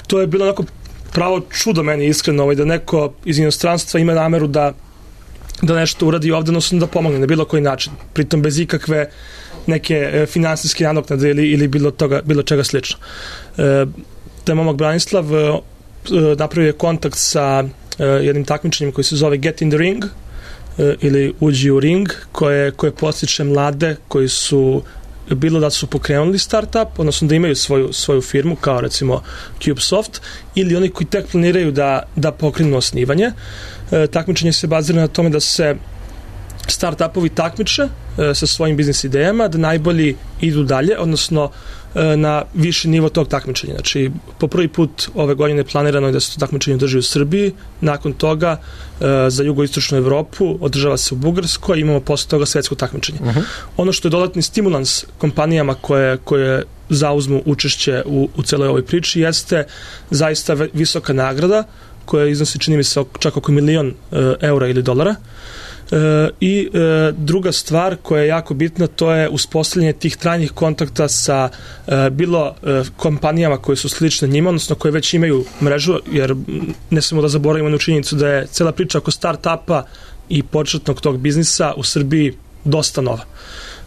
to je bilo onako pravo čudo meni, iskreno, ovaj, da neko iz inostranstva ima nameru da da nešto uradi ovde, odnosno da pomogne na bilo koji način, pritom bez ikakve neke e, finansijske nadoknade ili, ili bilo, toga, bilo čega slično. E, taj momak Branislav e, napravio je kontakt sa e, jednim takmičenjem koji se zove Get in the Ring e, ili Uđi u ring, koje, koje postiče mlade koji su bilo da su pokrenuli startup, odnosno da imaju svoju, svoju firmu, kao recimo CubeSoft, ili oni koji tek planiraju da, da pokrenu osnivanje. E, takmičenje se bazira na tome da se start-upovi takmiče e, sa svojim biznis idejama, da najbolji idu dalje, odnosno e, na viši nivo tog takmičenja. Znači, po prvi put ove godine planirano je da se to takmičenje održi u Srbiji, nakon toga e, za jugoistočnu Evropu održava se u Bugarskoj, imamo posle toga svetsko takmičenje. Uh-huh. Ono što je dodatni stimulans kompanijama koje, koje zauzmu učešće u, u celoj ovoj priči jeste zaista visoka nagrada koja iznosi, čini mi se, čak oko milion e, eura ili dolara. E, I e, druga stvar koja je jako bitna, to je uspostavljanje tih trajnih kontakta sa e, bilo e, kompanijama koje su slične njima, odnosno koje već imaju mrežu, jer ne smemo da zaboravimo na činjenicu da je cela priča oko start-upa i početnog tog biznisa u Srbiji dosta nova.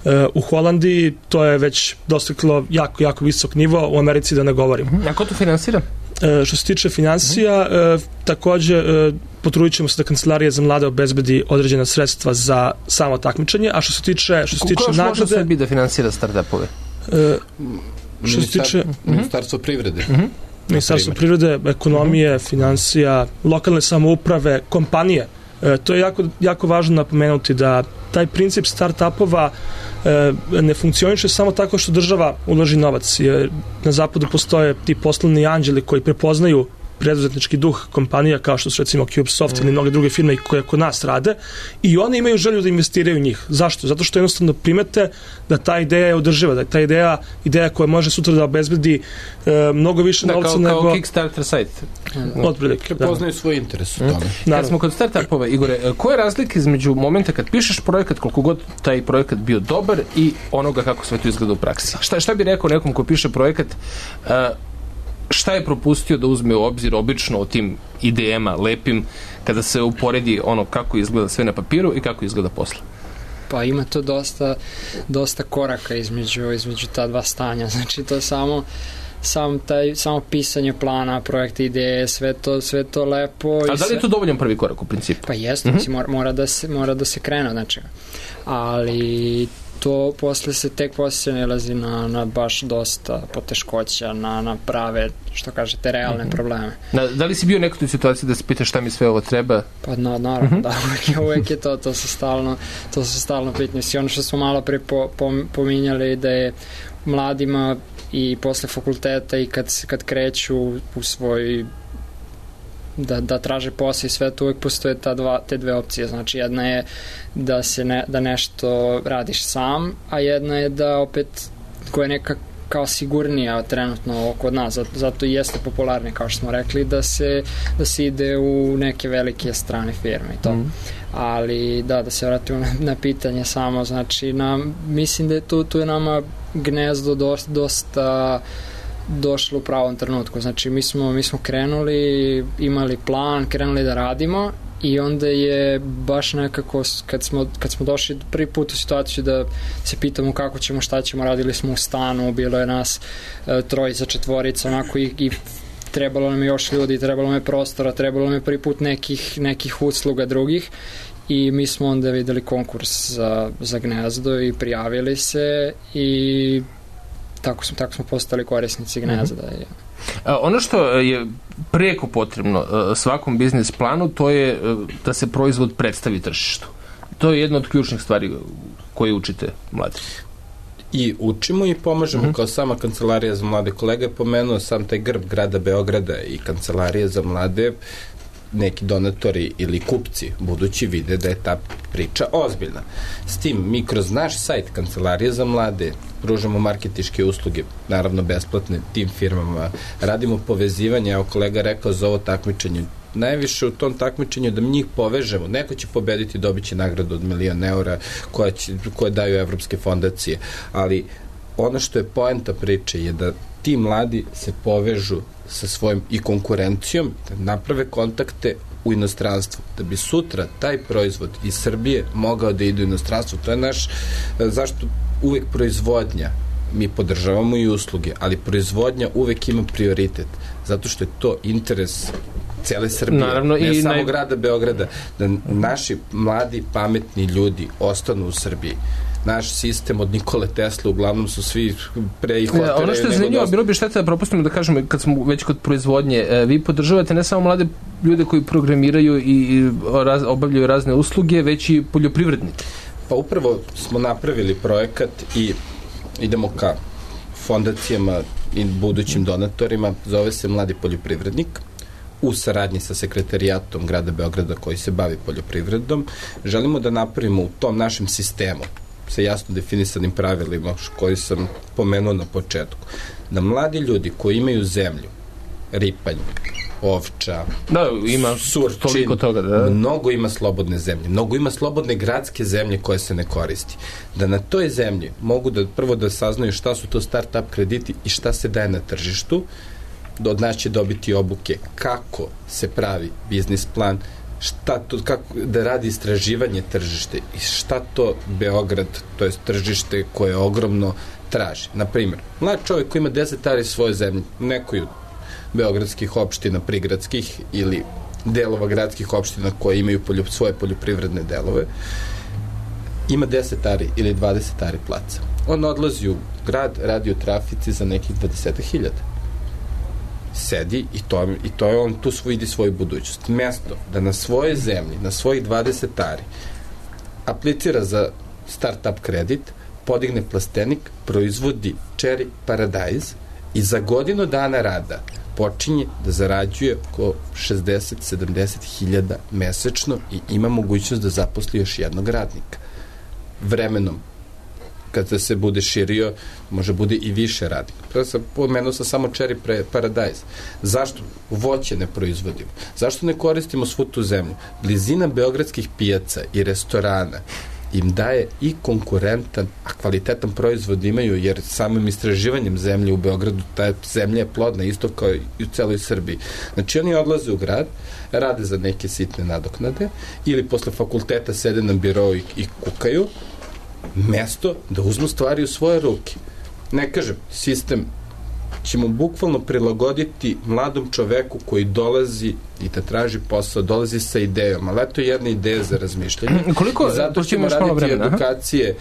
E, u Holandiji to je već dostiglo jako, jako visok nivo, u Americi da ne govorim. A ko to finansira? E, što se tiče financija, e, takođe e, potrudit ćemo se da Kancelarija za mlade obezbedi određena sredstva za samo takmičenje, a što se tiče, što se tiče nagrade... Ko još može sebi da finansira start-upove? E, što se tiče... Ministarstvo privrede. Uh-huh. Ministarstvo privrede, ekonomije, uh-huh. financija, lokalne samouprave, kompanije. E, to je jako, jako važno napomenuti da taj princip start-upova e, ne funkcioniše samo tako što država uloži novac, jer na zapadu postoje ti poslovni anđeli koji prepoznaju preduzetnički duh kompanija kao što su recimo CubeSoft mm. ili mnoge druge firme koje kod nas rade i oni imaju želju da investiraju u njih. Zašto? Zato što jednostavno primete da ta ideja je održiva, da je ta ideja ideja koja može sutra da obezbedi e, mnogo više da, novca kao, nego... Kao Kickstarter sajt. Otprilike. Prepoznaju svoj interes u tome. Mm. Kad smo kod startupova, Igore, koja je razlika između momenta kad pišeš projekat, koliko god taj projekat bio dobar i onoga kako sve to izgleda u praksi? Šta, šta bi rekao nekom ko piše projekat, uh, šta je propustio da uzme u obzir obično o tim idejama lepim kada se uporedi ono kako izgleda sve na papiru i kako izgleda posle? Pa ima to dosta, dosta koraka između, između ta dva stanja. Znači to je samo sam taj, samo pisanje plana, projekta, ideje, sve to, sve to lepo. A da li je to dovoljan prvi korak u principu? Pa jeste, mm-hmm. mora, mora, da se, mora da se krene od nečega. Ali to posle se tek posle nalazi na, na baš dosta poteškoća, na, na prave, što kažete, realne mm-hmm. probleme. Da, da li si bio nekoj situaciji da se pitaš šta mi sve ovo treba? Pa na, naravno, mm-hmm. da, uvek, uvek je to, to se stalno, to se stalno pitanje. I ono što smo malo pre po, po, pominjali da je mladima i posle fakulteta i kad, kad kreću u svoj da, da traže posao i sve to, uvek postoje ta dva, te dve opcije. Znači jedna je da se ne, da nešto radiš sam, a jedna je da opet koja je neka kao sigurnija trenutno kod nas, zato, zato i jeste popularni, kao što smo rekli, da se, da se ide u neke velike strane firme i to. Mm. Ali da, da se vratimo na, na pitanje samo, znači nam, mislim da je tu, tu je nama gnezdo dosta, dosta došlo u pravom trenutku. Znači mi smo, mi smo krenuli, imali plan, krenuli da radimo i onda je baš nekako kad smo, kad smo došli prvi put u situaciju da se pitamo kako ćemo, šta ćemo, radili smo u stanu, bilo je nas e, trojica, četvorica, onako i, i trebalo nam je još ljudi, trebalo nam je prostora, trebalo nam je prvi put nekih, nekih usluga drugih i mi smo onda videli konkurs za, za gnezdo i prijavili se i tako smo, tako smo postali korisnici gnezda. Mm-hmm. Ono što je preko potrebno svakom biznis planu, to je da se proizvod predstavi tržištu. To je jedna od ključnih stvari koje učite mladi. I učimo i pomažemo mm-hmm. kao sama Kancelarija za mlade. Kolega je pomenuo sam taj grb grada Beograda i Kancelarija za mlade, neki donatori ili kupci budući vide da je ta priča ozbiljna. S tim, mi kroz naš sajt Kancelarije za mlade pružamo marketičke usluge, naravno besplatne tim firmama, radimo povezivanje, evo kolega rekao za ovo takmičenje, najviše u tom takmičenju da mi njih povežemo, neko će pobediti, dobit će nagradu od milion eura koja će, koje daju evropske fondacije, ali ono što je poenta priče je da ti mladi se povežu sa svojim i konkurencijom, da naprave kontakte u inostranstvu, da bi sutra taj proizvod iz Srbije mogao da ide u inostranstvo. To je naš, zašto uvek proizvodnja, mi podržavamo i usluge, ali proizvodnja uvek ima prioritet, zato što je to interes cele Srbije, naravno, ne i samo naj... grada Beograda, da naši mladi, pametni ljudi ostanu u Srbiji. Naš sistem od Nikole Tesla uglavnom su svi pre i hotere. Ono što je zanimljivo, bilo bi šteta da propustimo da kažemo, kad smo već kod proizvodnje, vi podržavate ne samo mlade ljude koji programiraju i raz, obavljaju razne usluge, već i poljoprivrednike. Pa upravo smo napravili projekat i idemo ka fondacijama i budućim donatorima, zove se Mladi poljoprivrednik, u saradnji sa sekretarijatom grada Beograda koji se bavi poljoprivredom. Želimo da napravimo u tom našem sistemu sa jasno definisanim pravilima koji sam pomenuo na početku, da mladi ljudi koji imaju zemlju, ripanj, ovča, da, ima surčin, toliko toga, da. Mnogo ima slobodne zemlje, mnogo ima slobodne gradske zemlje koje se ne koristi. Da na toj zemlji mogu da prvo da saznaju šta su to start-up krediti i šta se daje na tržištu, da od nas će dobiti obuke kako se pravi biznis plan, šta to, kako da radi istraživanje tržište i šta to Beograd, to je tržište koje je ogromno, traži. Naprimjer, mlad čovjek koji ima deset ari svoje zemlje, nekoj beogradskih opština, prigradskih ili delova gradskih opština koje imaju polju, svoje poljoprivredne delove, ima deset ari ili dvadeset ari placa. On odlazi u grad, radi u trafici za nekih dvadeset hiljada. Sedi i to, i to je on tu svoj, vidi svoju budućnost. Mesto da na svojoj zemlji, na svojih dvadeset ari aplicira za start-up kredit, podigne plastenik, proizvodi cherry paradajz i za godinu dana rada počinje da zarađuje oko šezdeset do sedamdeset hiljada mesečno i ima mogućnost da zaposli još jednog radnika. Vremenom, kada se bude širio, može bude i više radnika. Prvo sam pomenuo sam samo cherry paradajz. Zašto voće ne proizvodimo? Zašto ne koristimo svu tu zemlju? Blizina beogradskih pijaca i restorana im daje i konkurentan, a kvalitetan proizvod imaju, jer samim istraživanjem zemlje u Beogradu ta zemlja je plodna, isto kao i u celoj Srbiji. Znači oni odlaze u grad, rade za neke sitne nadoknade ili posle fakulteta sede na birou i, i kukaju, mesto da uzmu stvari u svoje ruke. Ne kažem, sistem ćemo bukvalno prilagoditi mladom čoveku koji dolazi i da traži posao, dolazi sa idejom, ali to je jedna ideja za razmišljanje. Koliko, I zato ćemo raditi vremena, edukacije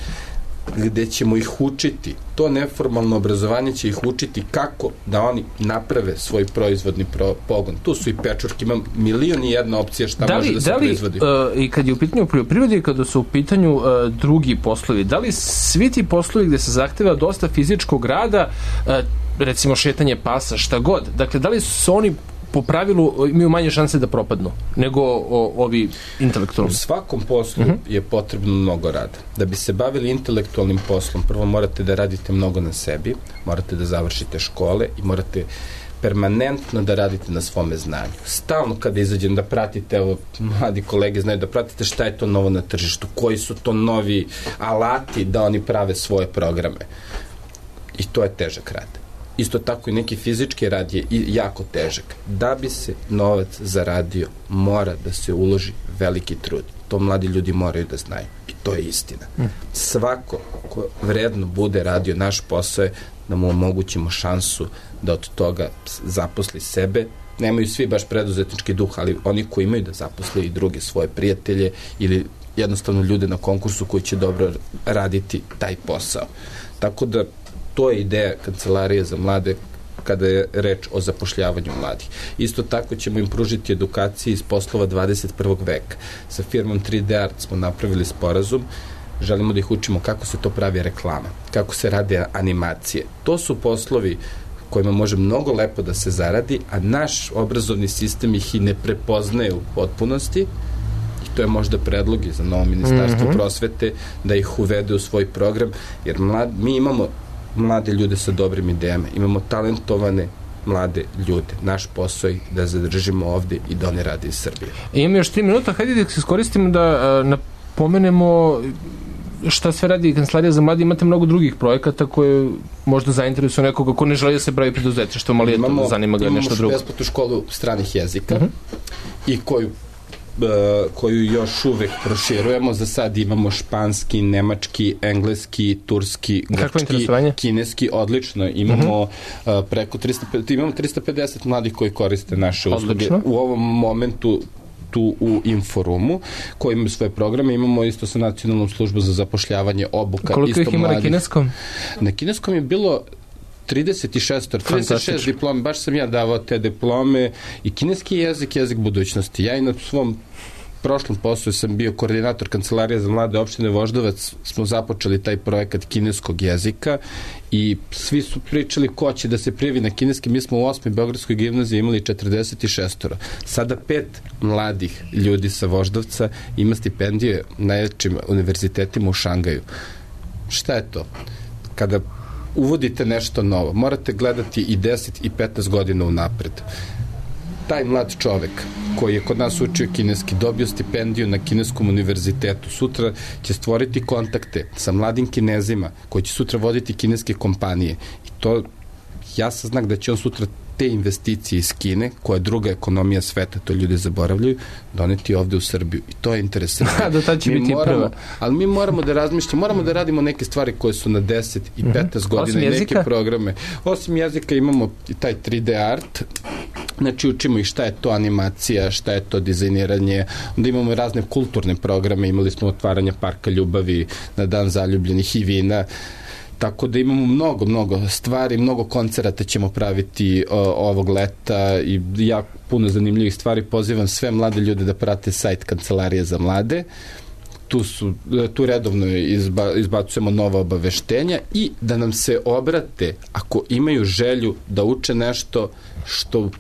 gde ćemo ih učiti. To neformalno obrazovanje će ih učiti kako da oni naprave svoj proizvodni pro, pogon. Tu su i pečurke, ima milion i jedna opcija šta da li, može da se da li, proizvodi. Uh, I kad je u pitanju poljoprivrede i kada su u pitanju uh, drugi poslovi, da li svi ti poslovi gde se zahteva dosta fizičkog rada, uh, recimo šetanje pasa, šta god, dakle, da li su oni po pravilu imaju manje šanse da propadnu nego o, ovi intelektualni? U svakom poslu uh-huh. je potrebno mnogo rada. Da bi se bavili intelektualnim poslom, prvo morate da radite mnogo na sebi, morate da završite škole i morate permanentno da radite na svome znanju. Stalno kada izađem da pratite, evo, mladi kolege znaju da pratite šta je to novo na tržištu, koji su to novi alati da oni prave svoje programe. I to je težak rad. Isto tako i neki fizički rad je jako težak. Da bi se novac zaradio, mora da se uloži veliki trud. To mladi ljudi moraju da znaju. I to je istina. Svako ko vredno bude radio naš posao je da mu omogućimo šansu da od toga zaposli sebe. Nemaju svi baš preduzetnički duh, ali oni koji imaju da zaposle i druge svoje prijatelje ili jednostavno ljude na konkursu koji će dobro raditi taj posao. Tako da to je ideja Kancelarije za mlade kada je reč o zapošljavanju mladih. Isto tako ćemo im pružiti edukacije iz poslova dvadeset prvog veka. Sa firmom tri D Art smo napravili sporazum, želimo da ih učimo kako se to pravi reklama, kako se rade animacije. To su poslovi kojima može mnogo lepo da se zaradi, a naš obrazovni sistem ih i ne prepoznaje u potpunosti. I to je možda predlog i za novo ministarstvo mm-hmm. prosvete da ih uvede u svoj program, jer mlad, mi imamo mlade ljude sa dobrim idejama, imamo talentovane mlade ljude. Naš posao je da zadržimo ovde i da oni rade iz Srbije. Imamo još tri minuta, hajde da se iskoristimo da uh, napomenemo šta sve radi Kancelarija za mlade. Imate mnogo drugih projekata koje možda zainteresuju nekoga ko ne želi da se bavi preduzetništvom, ali imamo, eto, zanima ga nešto drugo. Imamo besplatnu školu stranih jezika uh-huh. i koju koju još uvek proširujemo. Za sad imamo španski, nemački, engleski, turski, grčki, kineski, odlično. Imamo uh-huh. preko trista pedeset, imamo trista pedeset mladih koji koriste naše usluge. Odlično. U ovom momentu tu u Inforumu, koji imaju svoje programe. Imamo isto sa Nacionalnom službom za zapošljavanje obuka. Koliko ih ima na kineskom? Na kineskom je bilo trideset šest, trideset šest diplome, baš sam ja davao te diplome i kineski jezik, jezik budućnosti. Ja i na svom prošlom poslu sam bio koordinator Kancelarije za mlade opštine Voždovac, smo započeli taj projekat kineskog jezika i svi su pričali ko će da se prijavi na kineski. Mi smo u osmoj Beogradskoj gimnaziji imali četrdeset šest. Sada pet mladih ljudi sa Voždovca ima stipendije na najjačim univerzitetima u Šangaju. Šta je to? Kada uvodite nešto novo, morate gledati i deset i petnaest godina unapred. Taj mlad čovek koji je kod nas učio kineski, dobio stipendiju na kineskom univerzitetu, sutra će stvoriti kontakte sa mladim Kinezima koji će sutra voditi kineske kompanije. I to jasan znak da će on sutra te investicije iz Kine, koja je druga ekonomija sveta, to ljudi zaboravljaju, doneti ovde u Srbiju. I to je interesantno. Da, tad će biti prva. Ali mi moramo da razmišljamo, moramo da radimo neke stvari koje su na deset i petnaest godina i neke programe. Osim jezika imamo i taj tri D art, znači učimo ih šta je to animacija, šta je to dizajniranje, onda imamo razne kulturne programe, imali smo otvaranje Parka ljubavi na Dan zaljubljenih i vina, tako da imamo mnogo, mnogo stvari, mnogo koncerata ćemo praviti o, ovog leta i jako puno zanimljivih stvari. Pozivam sve mlade ljude da prate sajt Kancelarije za mlade. Tu, su, tu redovno izba, izbacujemo nova obaveštenja i da nam se obrate ako imaju želju da uče nešto što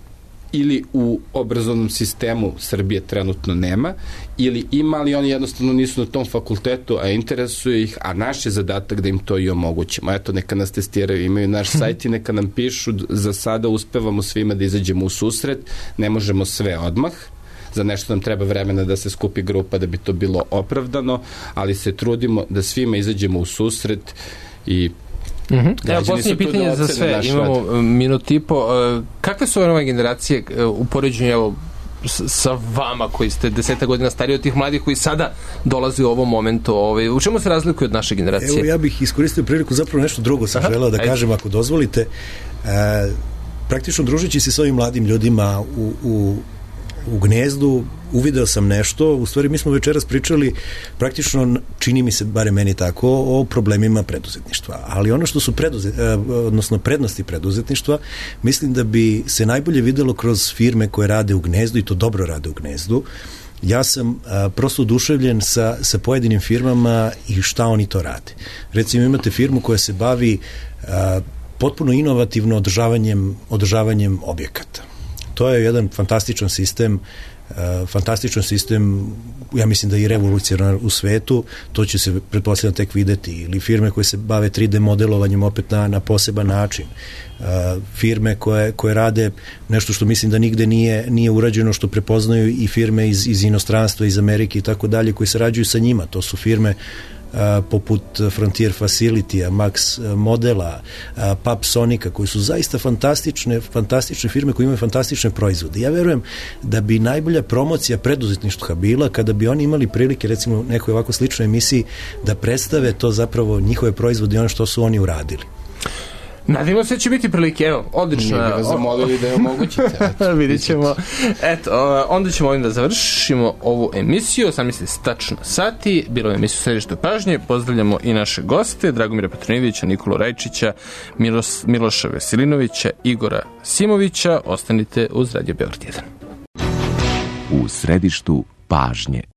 ili u obrazovnom sistemu Srbije trenutno nema, ili ima, ali oni jednostavno nisu na tom fakultetu, a interesuje ih, a naš je zadatak da im to i omogućimo. Eto, neka nas testiraju, imaju naš sajt i neka nam pišu. Za sada uspevamo svima da izađemo u susret, ne možemo sve odmah, za nešto nam treba vremena da se skupi grupa da bi to bilo opravdano, ali se trudimo da svima izađemo u susret i Mm-hmm. Evo, posljednje pitanje za sve, imamo rad. minut i po. Kakve su ove nove generacije u poređenju evo, sa vama koji ste deseta godina stariji od tih mladih koji sada dolaze u ovom momentu? Ovaj, u čemu se razlikuje od naše generacije? Evo, ja bih iskoristio priliku, zapravo nešto drugo sam Aha, želeo da ajde. kažem, ako dozvolite. E, praktično družeći se s ovim mladim ljudima u, u u Gnezdu, uvideo sam nešto, u stvari mi smo večeras pričali praktično, čini mi se, bare meni tako, o problemima preduzetništva, ali ono što su preduzet, odnosno prednosti preduzetništva, mislim da bi se najbolje videlo kroz firme koje rade u Gnezdu i to dobro rade u Gnezdu. Ja sam a, prosto oduševljen sa, sa pojedinim firmama i šta oni to rade. Recimo imate firmu koja se bavi a, potpuno inovativno održavanjem, održavanjem objekata. To je jedan fantastičan sistem, uh, fantastičan sistem, ja mislim da je i revolucionaran u svetu, to će se pretpostavljeno tek videti, ili firme koje se bave tri D modelovanjem opet na, na poseban način, uh, firme koje, koje rade nešto što mislim da nigde nije, nije urađeno, što prepoznaju i firme iz, iz inostranstva, iz Amerike i tako dalje, koji sarađuju sa njima, to su firme Uh, poput Frontier Facility-a, Max Modela, uh, Papsonica, koji su zaista fantastične, fantastične firme koje imaju fantastične proizvode. Ja verujem da bi najbolja promocija preduzetništva bila kada bi oni imali prilike, recimo u nekoj ovako sličnoj emisiji, da predstave to zapravo njihove proizvode i ono što su oni uradili. Nadimo se da će biti prilike, evo, odlično. Mi bi vas zamolili da je omogućite. Vidjet ćemo. Eto, onda ćemo ovim da završimo ovu emisiju. Sam misli tačno sati. Bilo je emisiju Središte pažnje. Pozdravljamo i naše goste, Dragomira Petronijevića, Nikolu Rajčića, Milos, Miloša Veselinovića, Igora Simovića. Ostanite uz Radio Beograd jedan. U središtu pažnje.